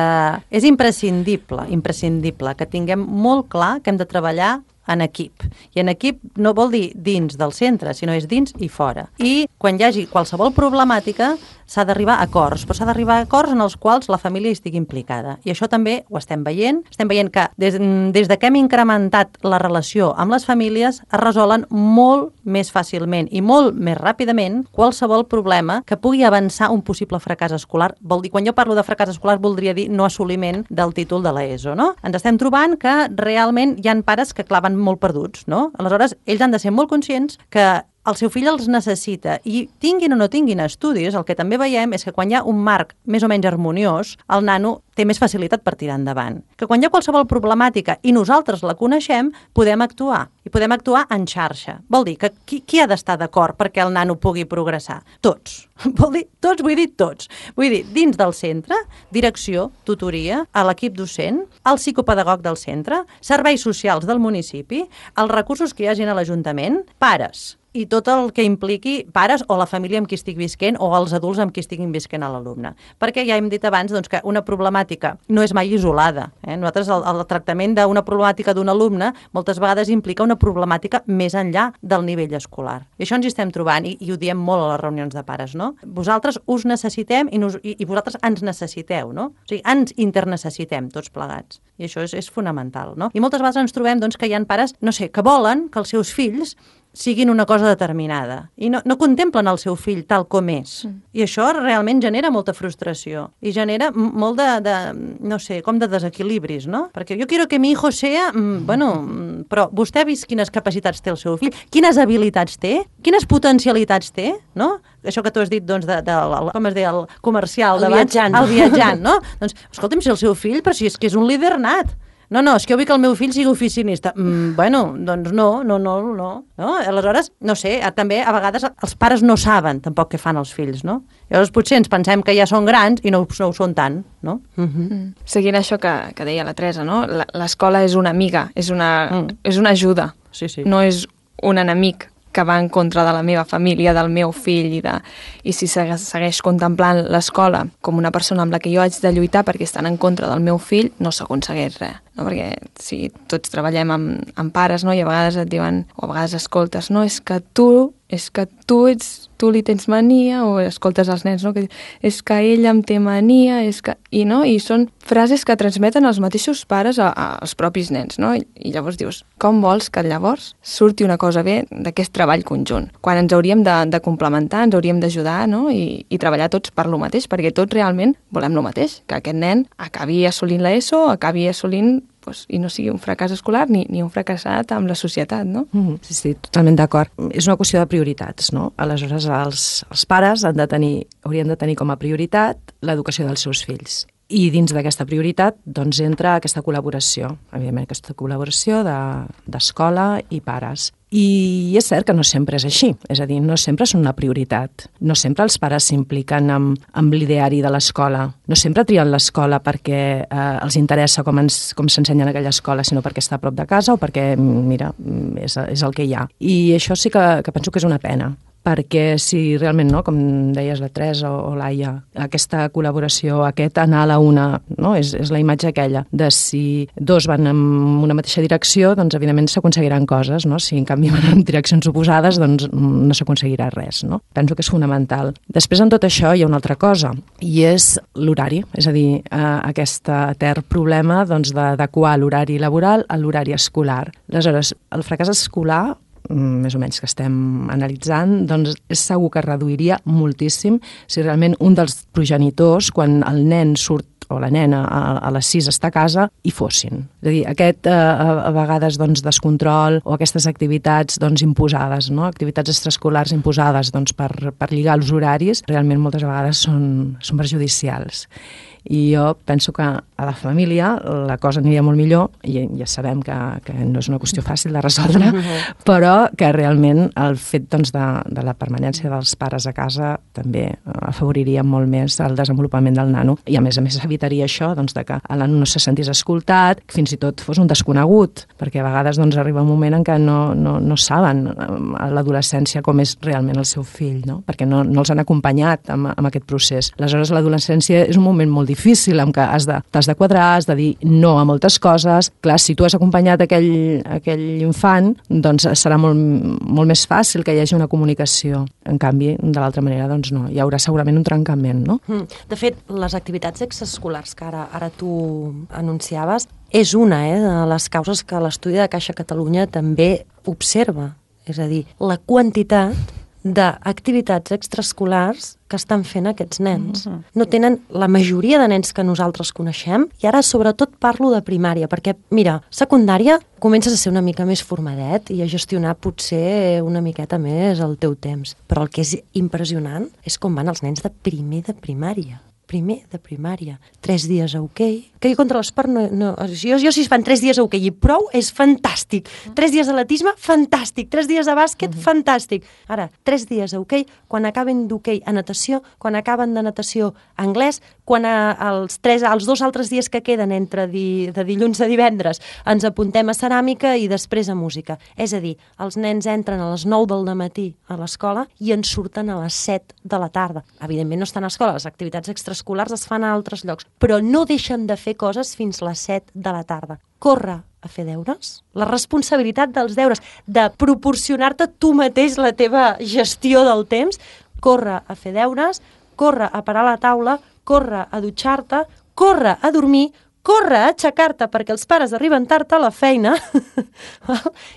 és imprescindible, imprescindible que tinguem molt clar que hem de treballar en equip. I en equip no vol dir dins del centre, sinó és dins i fora. I quan hi hagi qualsevol problemàtica s'ha d'arribar a acords, però s'ha d'arribar a acords en els quals la família estigui implicada. I això també ho estem veient. Estem veient que des, des de que hem incrementat la relació amb les famílies es resolen molt més fàcilment i molt més ràpidament qualsevol problema que pugui avançar un possible fracàs escolar. Vol dir, quan jo parlo de fracàs escolar voldria dir no assoliment del títol de l'ESO, no? Ens estem trobant que realment hi ha pares que claven molt perduts, no? Aleshores, ells han de ser molt conscients que el seu fill els necessita i tinguin o no tinguin estudis, el que també veiem és que quan hi ha un marc més o menys harmoniós, el nano té més facilitat per tirar endavant. Que quan hi ha qualsevol problemàtica i nosaltres la coneixem, podem actuar. I podem actuar en xarxa. Vol dir que qui, qui ha d'estar d'acord perquè el nano pugui progressar? Tots. Vol dir tots, vull dir tots. Vull dir, dins del centre, direcció, tutoria, a l'equip docent, el psicopedagog del centre, serveis socials del municipi, els recursos que hi hagin a l'Ajuntament, pares, i tot el que impliqui pares o la família amb qui estic visquent o els adults amb qui estiguin visquent a l'alumne. Perquè ja hem dit abans doncs, que una problemàtica no és mai isolada. Eh? Nosaltres el, el tractament d'una problemàtica d'un alumne moltes vegades implica una problemàtica més enllà del nivell escolar. I això ens hi estem trobant i, i ho diem molt a les reunions de pares, no? Vosaltres us necessitem i, nos, i, i vosaltres ens necessiteu, no? O sigui, ens internecessitem tots plegats. I això és, és fonamental, no? I moltes vegades ens trobem doncs, que hi ha pares, no sé, que volen que els seus fills siguin una cosa determinada i no, no contemplen el seu fill tal com és. Mm. I això realment genera molta frustració i genera molt de, de, no sé, com de desequilibris, no? Perquè jo quiero que mi hijo sea, mm, bueno, mm, però vostè ha vist quines capacitats té el seu fill, quines habilitats té, quines potencialitats té, no? Això que tu has dit, doncs, de, de, de com es deia, el comercial el d'abans, viatjant. el viatjant, no? Doncs, escolta'm, si el seu fill, però si és que és un líder nat. No, no, és que jo vull que el meu fill sigui oficinista. Mm, bueno, doncs no, no, no, no, no. Aleshores, no sé, també a vegades els pares no saben tampoc què fan els fills, no? Llavors potser ens pensem que ja són grans i no, no ho són tant, no? Mm-hmm. Mm. Seguint això que, que deia la Teresa, no? L'escola és una amiga, és una, mm. és una ajuda, sí, sí. No és un enemic que va en contra de la meva família, del meu fill, i, de, i si segueix, segueix contemplant l'escola com una persona amb la que jo haig de lluitar perquè estan en contra del meu fill, no s'aconsegueix res. No? Perquè si tots treballem amb, amb pares, no? I a vegades et diuen, o a vegades escoltes, no, és que tu, és que tu ets, tu li tens mania, o escoltes els nens, no? Que és que ell em té mania, és que... I, no? I són frases que transmeten els mateixos pares a, a, als propis nens, no? I, I llavors dius, com vols que llavors surti una cosa bé d'aquest treball conjunt? Quan ens hauríem de, de complementar, ens hauríem d'ajudar, no? I, i treballar tots per lo mateix, perquè tots realment volem lo mateix, que aquest nen acabi assolint l'ESO, acabi assolint pues, i no sigui un fracàs escolar ni, ni un fracassat amb la societat, no? Mm-hmm. Sí, sí, totalment d'acord. És una qüestió de prioritats, no? Aleshores, els, els pares han de tenir, haurien de tenir com a prioritat l'educació dels seus fills. I dins d'aquesta prioritat doncs, entra aquesta col·laboració, evidentment aquesta col·laboració d'escola de, i pares. I és cert que no sempre és així, és a dir, no sempre és una prioritat. No sempre els pares s'impliquen amb, amb l'ideari de l'escola. No sempre trien l'escola perquè eh, els interessa com ens, com s'ensenya en aquella escola, sinó perquè està a prop de casa o perquè, mira, és, és el que hi ha. I això sí que, que penso que és una pena. Perquè si realment, no, com deies la Teresa o, o l'Aia, aquesta col·laboració, aquest anar a la una, no, és, és la imatge aquella de si dos van en una mateixa direcció, doncs evidentment s'aconseguiran coses, no? Si en canvi van en direccions oposades, doncs no s'aconseguirà res, no? Penso que és fonamental. Després en tot això hi ha una altra cosa, i és l'horari, és a dir, eh, aquest etern problema doncs, d'adequar l'horari laboral a l'horari escolar. Aleshores, el fracàs escolar més o menys que estem analitzant, doncs és segur que reduiria moltíssim si realment un dels progenitors, quan el nen surt o la nena a, a les sis està a casa, hi fossin. És a dir, aquest eh, a vegades doncs, descontrol o aquestes activitats doncs, imposades, no? Activitats extraescolars imposades doncs, per, per lligar els horaris, realment moltes vegades són, són perjudicials. I jo penso que a la família la cosa aniria molt millor, i ja sabem que, que no és una qüestió fàcil de resoldre, però que realment el fet doncs, de, de la permanència dels pares a casa també afavoriria molt més el desenvolupament del nano, i a més a més evitaria això, doncs, de que el nano no se sentís escoltat, que fins i tot fos un desconegut, perquè a vegades doncs, arriba un moment en què no, no, no saben a l'adolescència com és realment el seu fill, no? Perquè no, no els han acompanyat amb, amb aquest procés. Aleshores, l'adolescència és un moment molt difícil, en què has de, t'has de quadrar, has de dir no a moltes coses. Clar, si tu has acompanyat aquell, aquell infant, doncs serà molt, molt més fàcil que hi hagi una comunicació. En canvi, de l'altra manera, doncs no. Hi haurà segurament un trencament, no? De fet, les activitats extraescolars que ara, ara tu anunciaves és una eh, de les causes que l'estudi de Caixa Catalunya també observa. És a dir, la quantitat d'activitats extraescolars que estan fent aquests nens. Mm-hmm. No tenen la majoria de nens que nosaltres coneixem, i ara sobretot parlo de primària, perquè, mira, secundària comences a ser una mica més formadet i a gestionar potser una miqueta més el teu temps. Però el que és impressionant és com van els nens de primer de primària. Primer de primària. Tres dies a hoquei. Que jo contra l'esport no... no jo, jo si es fan tres dies a hoquei i prou, és fantàstic. Tres dies a atletisme, fantàstic. Tres dies a bàsquet, uh-huh. fantàstic. Ara, tres dies a hoquei, quan acaben d'hoquei a natació, quan acaben de natació a anglès, quan a, els, tres, els dos altres dies que queden entre di, de dilluns a divendres ens apuntem a ceràmica i després a música. És a dir, els nens entren a les nou del matí a l'escola i en surten a les set de la tarda. Evidentment no estan a l'escola, les activitats extraescolars es fan a altres llocs, però no deixen de fer coses fins a les set de la tarda. Córrer a fer deures, la responsabilitat dels deures, de proporcionar-te tu mateix la teva gestió del temps, córrer a fer deures, córrer a parar la taula, córrer a dutxar-te, córrer a dormir, córrer a aixecar-te perquè els pares arriben tard a la feina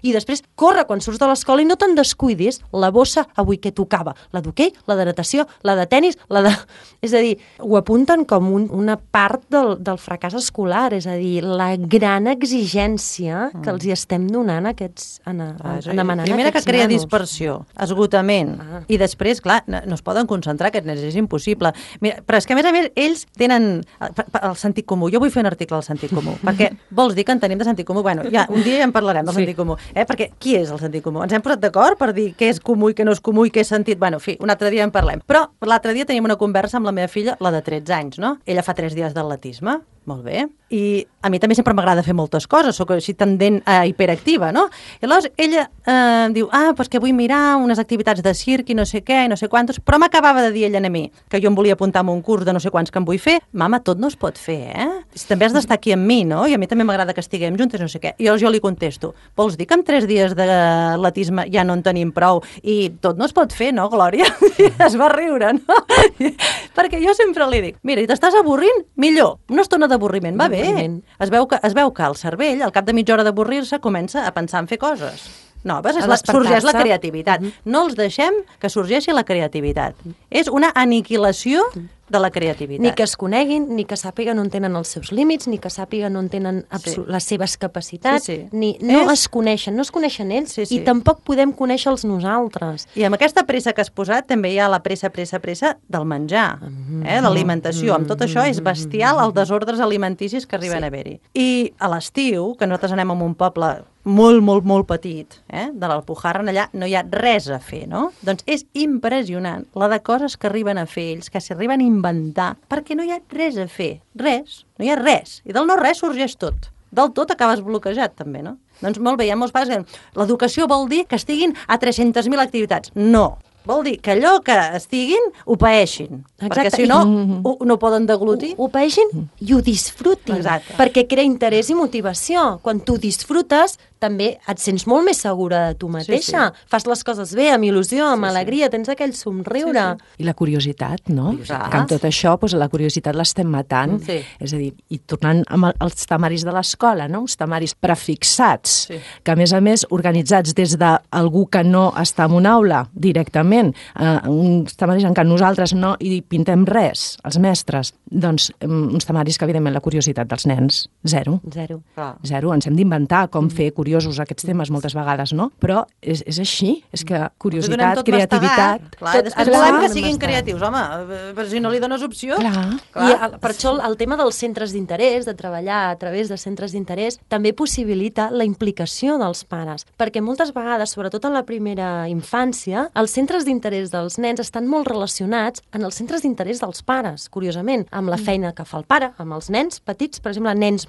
i després córrer quan surts de l'escola i no te'n descuidis la bossa avui que tocava, la d'hoquei, la de natació, la de tennis, la de... És a dir, ho apunten com un, una part del, del fracàs escolar, és a dir, la gran exigència que els hi estem donant a aquests, en, en, ah, en demanar primera aquests que crea nanos. Dispersió, esgotament, ah. i després, clar, no, no es poden concentrar aquests nens, és impossible. Mira, però és que a més a més ells tenen el, el sentit comú. Jo vull fer un article del sentit comú, perquè vols dir que en tenim de sentit comú? Bueno, ja, un dia ja en parlarem del sí. sentit comú, eh? Perquè qui és el sentit comú? Ens hem posat d'acord per dir què és comú i què no és comú i què és sentit? Bueno, en fi, un altre dia en parlem. Però l'altre dia teníem una conversa amb la meva filla, la de tretze anys, no? Ella fa tres dies d'atletisme, molt bé, i a mi també sempre m'agrada fer moltes coses, sóc així tendent a hiperactiva, no? I llavors ella eh, diu, ah, doncs que vull mirar unes activitats de circ i no sé què, i no sé quantos, però m'acabava de dir ella a mi que jo em volia apuntar a un curs de no sé quants que em vull fer. Mama, tot no es pot fer, eh? També has d'estar aquí amb mi, no? I a mi també m'agrada que estiguem juntes, no sé què. I llavors jo li contesto, vols dir que amb tres dies d'atletisme ja no en tenim prou i tot no es pot fer, no, Glòria? I es va riure, no? Perquè jo sempre li dic, mira, i t'estàs avorrint? Millor, una estona d'avorriment va bé. Es veu, que, es veu que el cervell, al cap de mitja hora d'avorrir-se, comença a pensar en fer coses noves, és la, sorgeix la creativitat. Mm-hmm. No els deixem que sorgeixi la creativitat. És una aniquilació de la creativitat. Ni que es coneguin, ni que sàpiguen on tenen els seus límits, ni que sàpiguen on tenen sí. les seves capacitats, sí, sí. ni no és... es coneixen, no es coneixen ells, sí, sí. i tampoc podem conèixer-los nosaltres. I amb aquesta pressa que has posat també hi ha la pressa, pressa, pressa del menjar, mm-hmm. eh? l'alimentació. Amb tot això és bestial els desordres alimenticis que arriben sí. a haver-hi. I a l'estiu, que nosaltres anem a un poble molt, molt, molt petit, eh? de l'Alpujarra, allà no hi ha res a fer, no? Doncs és impressionant la de coses que arriben a fer ells, que s'arriben a inventar, perquè no hi ha res a fer. Res, no hi ha res. I del no res sorgeix tot. Del tot acabes bloquejat, també, no? Doncs molt bé, hi ha molts pares que l'educació vol dir que estiguin a tres-centes mil activitats. No. Vol dir que allò que estiguin ho paeixin. Exacte. Perquè si no, ho, no poden deglutir. Ho, ho paeixin i ho disfrutin. Exacte. Perquè crea interès i motivació. Quan tu disfrutes, també et sents molt més segura de tu mateixa. Sí, sí. Fas les coses bé, amb il·lusió, amb sí, alegria, tens aquell somriure. Sí, sí. I la curiositat, no? Curiositat. Que amb tot això, doncs, la curiositat l'estem matant. Sí. És a dir, i tornant amb els temaris de l'escola, no? Uns temaris prefixats, sí. que a més a més organitzats des d'algú que no està en una aula directament, uh, uns temaris en què nosaltres no hi pintem res, els mestres, doncs um, uns temaris que evidentment la curiositat dels nens, zero. Zero. Ah. Zero. Ens hem d'inventar com mm. fer curiosos aquests temes moltes vegades, no? Però és, és així, és que curiositat, creativitat... Clar, tot, després volem que siguin creatius, home, però si no li dones opció... Clar. Clar. I el, per això el tema dels centres d'interès, de treballar a través de centres d'interès, també possibilita la implicació dels pares, perquè moltes vegades, sobretot en la primera infància, els centres d'interès dels nens estan molt relacionats en els centres d'interès dels pares, curiosament, amb la feina que fa el pare, amb els nens petits, per exemple, nens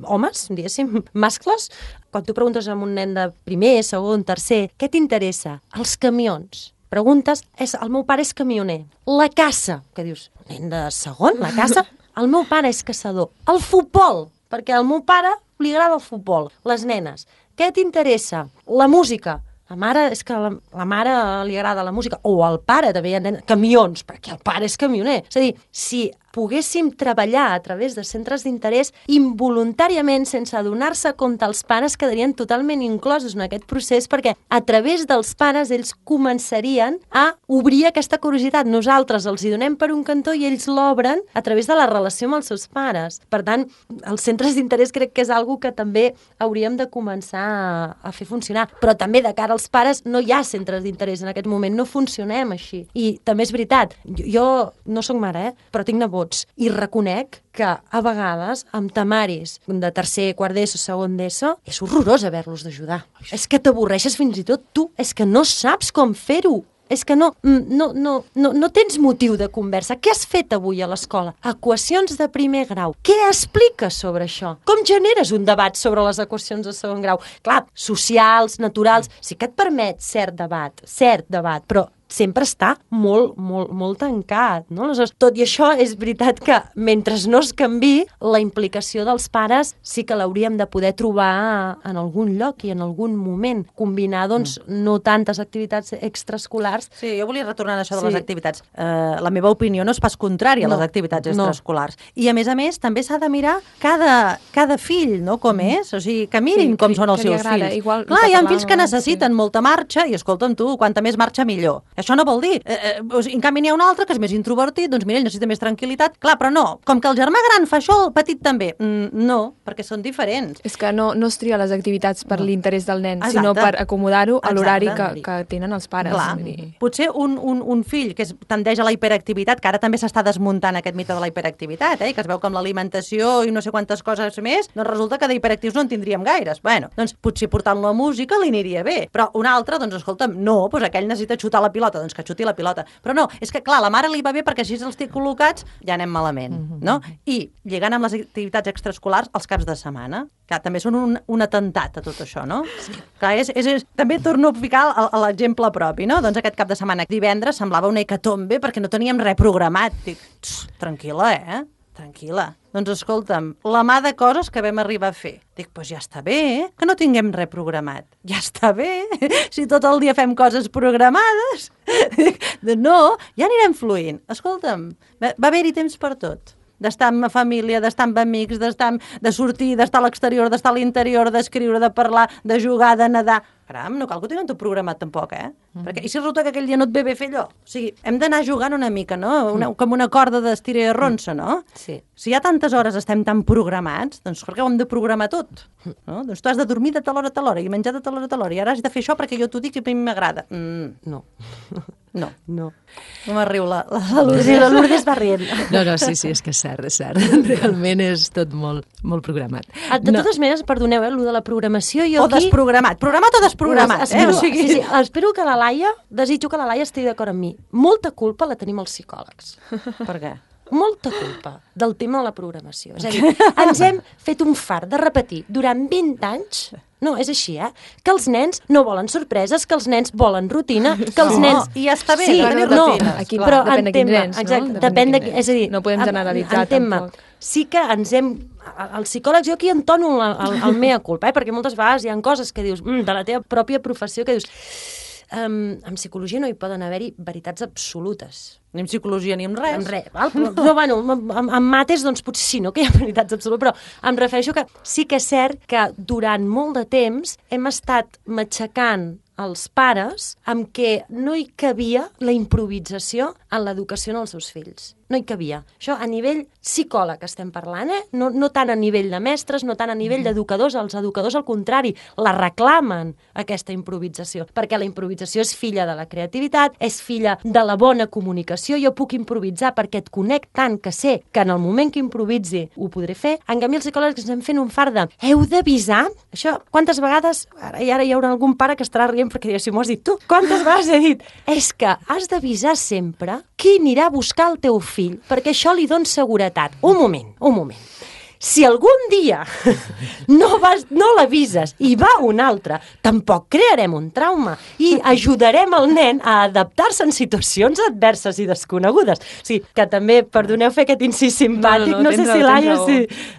homes, diguéssim, mascles. Quan tu preguntes a un nen de primer, segon, tercer, què t'interessa? Els camions. Preguntes, és, el meu pare és camioner. La caça, que dius, nen de segon, la caça? El meu pare és caçador. El futbol, perquè al meu pare li agrada el futbol. Les nenes, què t'interessa? La música. La mare, és que la, la mare li agrada la música, o al pare també hi ha nen, camions, perquè el pare és camioner. És a dir, si poguéssim treballar a través de centres d'interès involuntàriament, sense adonar-se compte, els pares quedarien totalment inclosos en aquest procés, perquè a través dels pares ells començarien a obrir aquesta curiositat. Nosaltres els hi donem per un cantó i ells l'obren a través de la relació amb els seus pares. Per tant, els centres d'interès crec que és algo que també hauríem de començar a, a fer funcionar. Però també de cara als pares no hi ha centres d'interès en aquest moment, no funcionem així. I també és veritat, jo, jo no sóc mare, eh? Però tinc nebots i reconec que a vegades amb temaris de tercer, quart d'ESO, segon d'ESO, és horrorós haver-los d'ajudar. És que t'avorreixes fins i tot tu, és que no saps com fer-ho. És que no, no, no, no, no tens motiu de conversa. Què has fet avui a l'escola? Equacions de primer grau. Què expliques sobre això? Com generes un debat sobre les equacions de segon grau? Clar, socials, naturals, sí que et permet cert debat, cert debat, però sempre està molt, molt, molt tancat, no? Aleshores, tot i això, és veritat que mentre no es canvi, la implicació dels pares sí que l'hauríem de poder trobar en algun lloc i en algun moment. Combinar, doncs, mm. no tantes activitats extraescolars. Sí, jo volia retornar a això de sí. les activitats. Uh, la meva opinió no és pas contrària no. a les activitats extraescolars. No. I, a més a més, també s'ha de mirar cada, cada fill, no?, com mm. és. O sigui, que mirin sí, com que, són els seus agrada. fills. Igual, Clar, hi ha fills que necessiten sí. molta marxa i, escolta'm tu, quanta més marxa, millor. Això no vol dir. Eh, eh, o sigui, en canvi, n'hi ha un altre que és més introvertit, doncs mira, ell necessita més tranquil·litat. Clar, però no. Com que el germà gran fa això, el petit també. Mm, no, perquè són diferents. És que no, no es tria les activitats per no. l'interès del nen, Exacte. sinó per acomodar-ho a l'horari que, que tenen els pares. Clar. Potser un, un, un fill que es tendeix a la hiperactivitat, que ara també s'està desmuntant aquest mite de la hiperactivitat, eh, que es veu que amb l'alimentació i no sé quantes coses més, doncs resulta que d'hiperactius no en tindríem gaires. Bueno, doncs potser portant-lo a música li aniria bé. Però un altre, doncs escolta'm, no, doncs aquell necessita xutar la pilota, doncs que xuti la pilota. Però no, és que clar, la mare li va bé perquè així els té col·locats, ja anem malament, mm-hmm. no? I lligant amb les activitats extraescolars els caps de setmana, que també són un, un atemptat a tot això, no? Sí. Clar, és, és, és, també torno a ficar l'exemple propi, no? Doncs aquest cap de setmana, divendres, semblava una hecatombe perquè no teníem res programat. Dic, tranquil·la, eh? Tranquil·la. Doncs escolta'm, la mà de coses que vam arribar a fer. Dic, doncs ja està bé, eh? Que no tinguem res programat. Ja està bé, si tot el dia fem coses programades. Dic, no, ja anirem fluint. Escolta'm, va, va haver-hi temps per tot. D'estar amb família, d'estar amb amics, d'estar amb, de sortir, d'estar a l'exterior, d'estar a l'interior, d'escriure, de parlar, de jugar, de nedar. Caram, no cal que ho tinguem tot programat tampoc, eh? Mm. Perquè, i si resulta que aquell dia no et ve bé fer allò? O sigui, hem d'anar jugant una mica, no? Una, com una corda d'estira i arronsa, no? Sí. Si ja tantes hores estem tan programats, doncs per què ho hem de programar tot? No? Doncs tu has de dormir de tal hora a tal hora i menjar de tal hora a tal hora i ara has de fer això perquè jo t'ho dic i a mi m'agrada. Mm, no. No. No. Com arriu la, la, la Lourdes? Sí, la Lourdes va rient. No, no, sí, sí, és que és cert, és cert. Realment és tot molt, molt programat. De no. totes maneres, perdoneu, eh, el de la programació... Jo o aquí... desprogramat. Programat o desprogramat. Espero, eh? O sigui... sí, sí, espero que la Laia, desitjo que la Laia estigui d'acord amb mi. Molta culpa la tenim els psicòlegs. Per què? Molta culpa del tema de la programació. És a dir, ens hem fet un fart de repetir durant vint anys... No, és així, eh? Que els nens no volen sorpreses, que els nens volen rutina, que els no, nens... I ja està bé, sí, de tenir no, rutines. Aquí, però depèn de quins nens, exacte, no? Depèn de, és a dir... No podem generalitzar, tampoc. Sí que ens hem... Els psicòlegs, jo aquí entono el, el, el mea culpa, eh? Perquè moltes vegades hi ha coses que dius, mm, de la teva pròpia professió, que dius... Um, en psicologia no hi poden haver-hi veritats absolutes. Ni en psicologia ni en res. En res, val? Però, però bueno, en, en mates, doncs potser sí, no que hi ha veritats absolutes, però em refereixo que sí que és cert que durant molt de temps hem estat matxacant els pares amb què no hi cabia la improvisació en l'educació dels seus fills. No hi cabia. Això a nivell psicòleg estem parlant, eh? No, no tant a nivell de mestres, no tant a nivell d'educadors. Els educadors, al contrari, la reclamen, aquesta improvisació, perquè la improvisació és filla de la creativitat, és filla de la bona comunicació. Jo puc improvisar perquè et conec tant que sé que en el moment que improvizi ho podré fer. En canvi, els psicòlegs ens estem fent un fart de heu d'avisar? Això, quantes vegades... Ara, i ara hi haurà algun pare que estarà rient perquè dirà, si m'ho has dit tu, quantes vegades he dit? És que has d'avisar sempre qui anirà a buscar el teu fill, perquè això li dona seguretat. Un moment, un moment. Si algun dia no, vas, no l'avises i va un altre, tampoc crearem un trauma i ajudarem el nen a adaptar-se en situacions adverses i desconegudes. O sigui, que també, perdoneu fer aquest incís simpàtic, no, no, no, no sé si Laia... Si,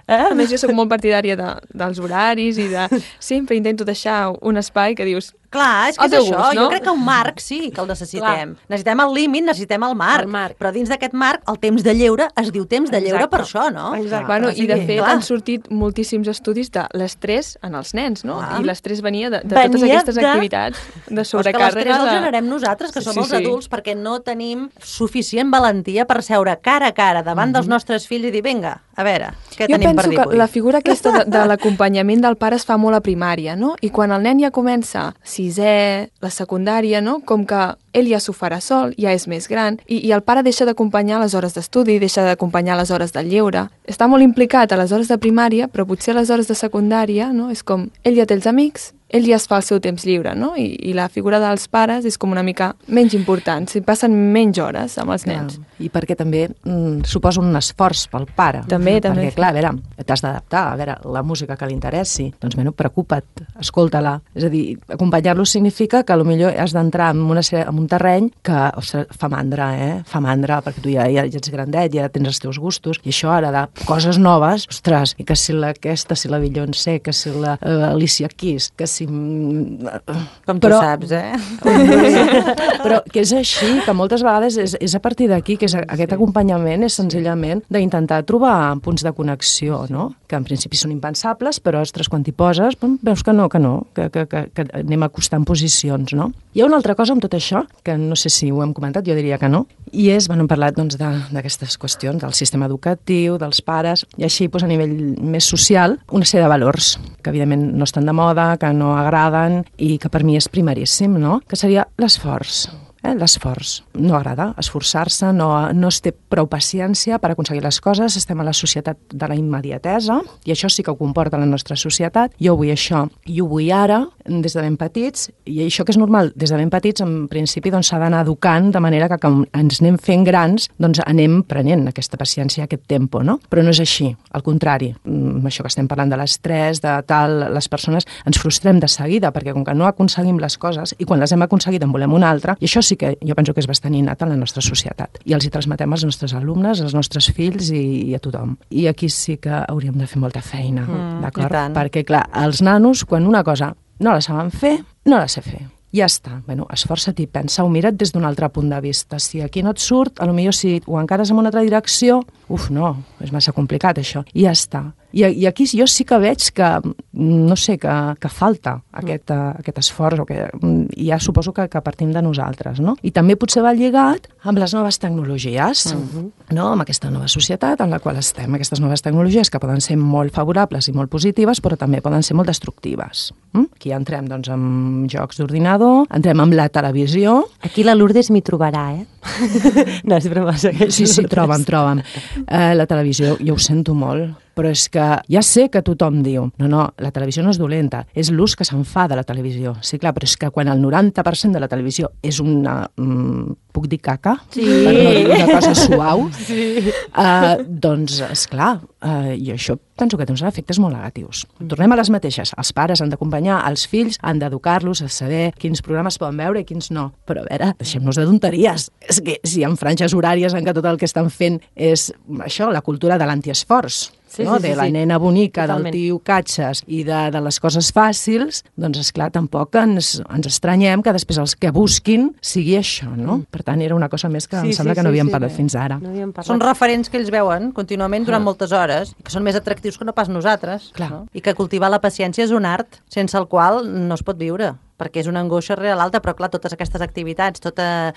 eh? A més, jo soc molt partidària de, dels horaris i de... Sempre intento deixar un espai que dius, Clar, és que al és teu això. gust, no? Jo crec que un marc sí que el necessitem. Clar. Necessitem el límit, necessitem el marc. El marc. Però dins d'aquest marc, el temps de lleure es diu temps de lleure Exacte. per això, no? Exacte. Bueno, O sigui, i de fet clar. han sortit moltíssims estudis de l'estrès en els nens, no? Clar. I l'estrès venia de, de Venia totes aquestes de- activitats de Però és que sobrecàrrega. l'estrès el de... generem nosaltres, que Sí, som sí, els sí. adults, perquè no tenim suficient valentia per seure cara a cara davant dels nostres fills i dir, vinga, a veure, què Jo tenim per penso dir que avui? la figura aquesta de, de l'acompanyament del pare es fa molt a primària, no? I quan el nen ja comença sisè, la secundària, no? Com que ell ja s'ho farà sol, ja és més gran, i, i el pare deixa d'acompanyar les hores d'estudi, deixa d'acompanyar les hores del lleure. Està molt implicat a les hores de primària, però potser a les hores de secundària, no? És com, ell ja té els amics, ell ja es fa el seu temps lliure, no? I, i la figura dels pares és com una mica menys important, s'hi passen menys hores amb els nens. Clar. I perquè també mm, suposa un esforç pel pare. També, perquè, també. Perquè, clar, a veure, t'has d'adaptar, a veure, la música que li interessi, doncs, bueno, preocupa't, escolta-la. És a dir, acompanyar-lo significa que potser has d'entrar en, una, en un terreny que, ostres, fa mandra, eh? Fa mandra, perquè tu ja, ja, ja ets grandet, ja tens els teus gustos, i això ara de coses noves, ostres, i que si la, aquesta, si la Beyoncé, que si la uh, Alicia Keys, que si... Com tu però, saps, eh? Però que és així, que moltes vegades és, és a partir d'aquí, que és, aquest acompanyament és senzillament d'intentar trobar punts de connexió, no? Que en principi són impensables, però, ostres, quan t'hi poses, veus que no, que no, que, que, que, que anem acostant posicions, no? Hi ha una altra cosa amb tot això, que no sé si ho hem comentat, jo diria que no, i és, bueno, hem parlat doncs, d'aquestes qüestions, del sistema educatiu, dels pares, i així doncs, a nivell més social, una sèrie de valors, que evidentment no estan de moda, que no agraden i que per mi és primeríssim, no? Que seria l'esforç. Eh, l'esforç. No agrada esforçar-se, no, no es té prou paciència per aconseguir les coses, estem a la societat de la immediatesa i això sí que ho comporta la nostra societat. Jo vull això i ho vull ara, des de ben petits, i això que és normal, des de ben petits, en principi doncs, s'ha d'anar educant de manera que quan ens anem fent grans doncs anem prenent aquesta paciència, aquest tempo, no? Però no és així, al contrari. Amb això que estem parlant de l'estrès, de tal, les persones ens frustrem de seguida perquè com que no aconseguim les coses i quan les hem aconseguit en volem una altra, i això sí que jo penso que és bastant innat en la nostra societat. I els hi transmetem als nostres alumnes, als nostres fills i, i a tothom. I aquí sí que hauríem de fer molta feina, Mm, d'acord? i tant. Perquè, clar, els nanos, quan una cosa no la saben fer, no la sé fer. Ja està. Bueno, esforça't i pensa-ho, mira't des d'un altre punt de vista. Si aquí no et surt, potser si ho encares en una altra direcció, uf, no, és massa complicat això. I ja està. I, i aquí jo sí que veig que, no sé, que, que falta aquest, uh, aquest esforç, o que ja suposo que, que partim de nosaltres, no? I també potser va lligat amb les noves tecnologies, uh-huh. no? Amb aquesta nova societat en la qual estem, aquestes noves tecnologies que poden ser molt favorables i molt positives, però també poden ser molt destructives. Mm? Aquí entrem doncs, amb jocs d'ordinador, entrem amb la televisió. Aquí la Lourdes m'hi trobarà, eh? No, és broma, segueix. Sí, sí, troba'm, troba'm. Eh, la televisió, jo ho sento molt, però és que ja sé que tothom diu no, no, la televisió no és dolenta, és l'ús que se'n fa de la televisió. Sí, clar, però és que quan el noranta per cent de la televisió és una... Mm, puc dir caca? Sí. Per no dir una cosa suau. Sí. Uh, doncs, esclar, uh, i això penso que té uns efectes molt negatius. Tornem a les mateixes. Els pares han d'acompanyar els fills, han d'educar-los a saber quins programes poden veure i quins no. Però a veure, deixem-nos de tonteries. És que si hi ha franges horàries en què tot el que estan fent és això, la cultura de l'antiesforç, Sí, no? sí, sí, de la sí. nena bonica, Totalment. del tio catxes i de, de les coses fàcils, doncs esclar, tampoc ens, ens estranyem que després els que busquin sigui això, no? Per tant, era una cosa més que Sí, em sembla sí, que no sí, havíem sí, parlat bé. fins ara. No havíem parlat. Són referents que ells veuen contínuament durant moltes hores, que són més atractius que no pas nosaltres. Clar. No? I que cultivar la paciència és un art sense el qual no es pot viure, perquè és una angoixa real alta, però clar, totes aquestes activitats, tota,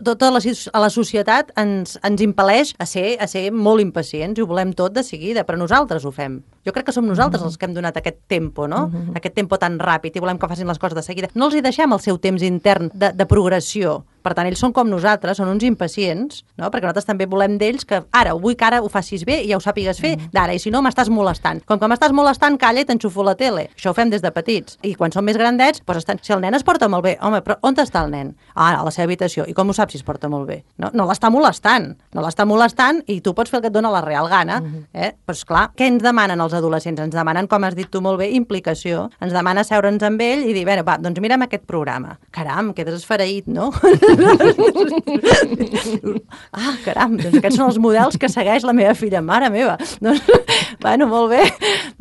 tota la, la societat ens, ens impel·leix a ser, a ser molt impacients i ho volem tot de seguida, però nosaltres ho fem. Jo crec que som nosaltres els que hem donat aquest tempo, no? Mm-hmm. Aquest tempo tan ràpid i volem que facin les coses de seguida. No els hi deixem el seu temps intern de, de progressió. Per tant, ells són com nosaltres, són uns impacients, no? Perquè nosaltres també volem d'ells que ara, vull que ara ho facis bé i ja ho sàpigues fer d'ara, i si no m'estàs molestant. Com que m'estàs molestant, calla i t'enxufo la tele. Això ho fem des de petits. I quan som més grandets, doncs estan... si el nen es porta molt bé, home, però on està el nen? Ah, a la seva habitació. I com ho saps si es porta molt bé? No, no l'està molestant. No l'està molestant i tu pots fer el que et dona la real gana. Eh? Però esclar, què ens demanen els adolescents? Ens demanen, com has dit tu molt bé, implicació. Ens demana seure'ns amb ell i dir, bé, va, doncs mira'm aquest programa. Caram, quedes esfereït, no? Ah, caram, doncs aquests són els models que segueix la meva filla. Mare meva. Doncs, bueno, molt bé.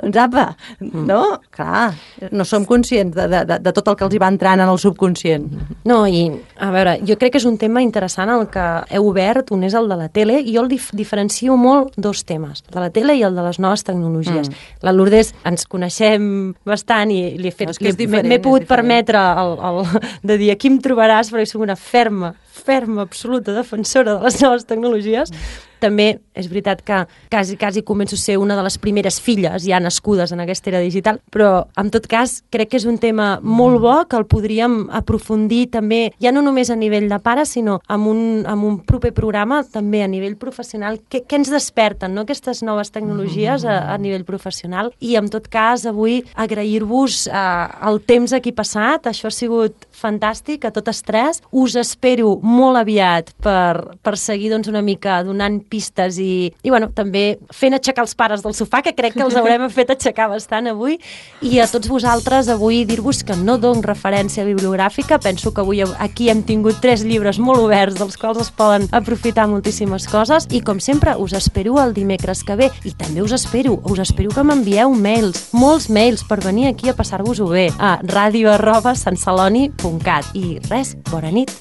Doncs Doncs apa, no? Clar, no som conscients de, de, de tot el que els hi va entrant en el subconscient. No, i a veure, jo crec que és un tema interessant el que heu obert, un és el de la tele, i jo el dif diferencio molt dos temes, el de la tele i el de les noves tecnologies. Mm. La Lourdes ens coneixem bastant i li he fet, no, m'he pogut permetre el, el, de dir aquí em trobaràs perquè soc una ferma, ferma, absoluta defensora de les noves tecnologies. Mm. També és veritat que quasi, quasi començo a ser una de les primeres filles ja nascudes en aquesta era digital, però en tot cas crec que és un tema molt bo que el podríem aprofundir també, ja no només a nivell de pares, sinó amb un, amb un proper programa també a nivell professional. Què, què ens desperten, no?, aquestes noves tecnologies a, a nivell professional? I en tot cas avui agrair-vos eh, el temps aquí passat, això ha sigut fantàstic a totes tres. Us espero molt aviat per, per seguir doncs, una mica donant pistes i, i bueno, també fent aixecar els pares del sofà, que crec que els haurem fet aixecar bastant avui, i a tots vosaltres avui dir-vos que no dono referència bibliogràfica. Penso que avui aquí hem tingut tres llibres molt oberts dels quals es poden aprofitar moltíssimes coses, i com sempre us espero el dimecres que ve, i també us espero, us espero que m'envieu mails, molts mails per venir aquí a passar-vos-ho bé a ràdio arroba santceloni punt cat. I res, bona nit.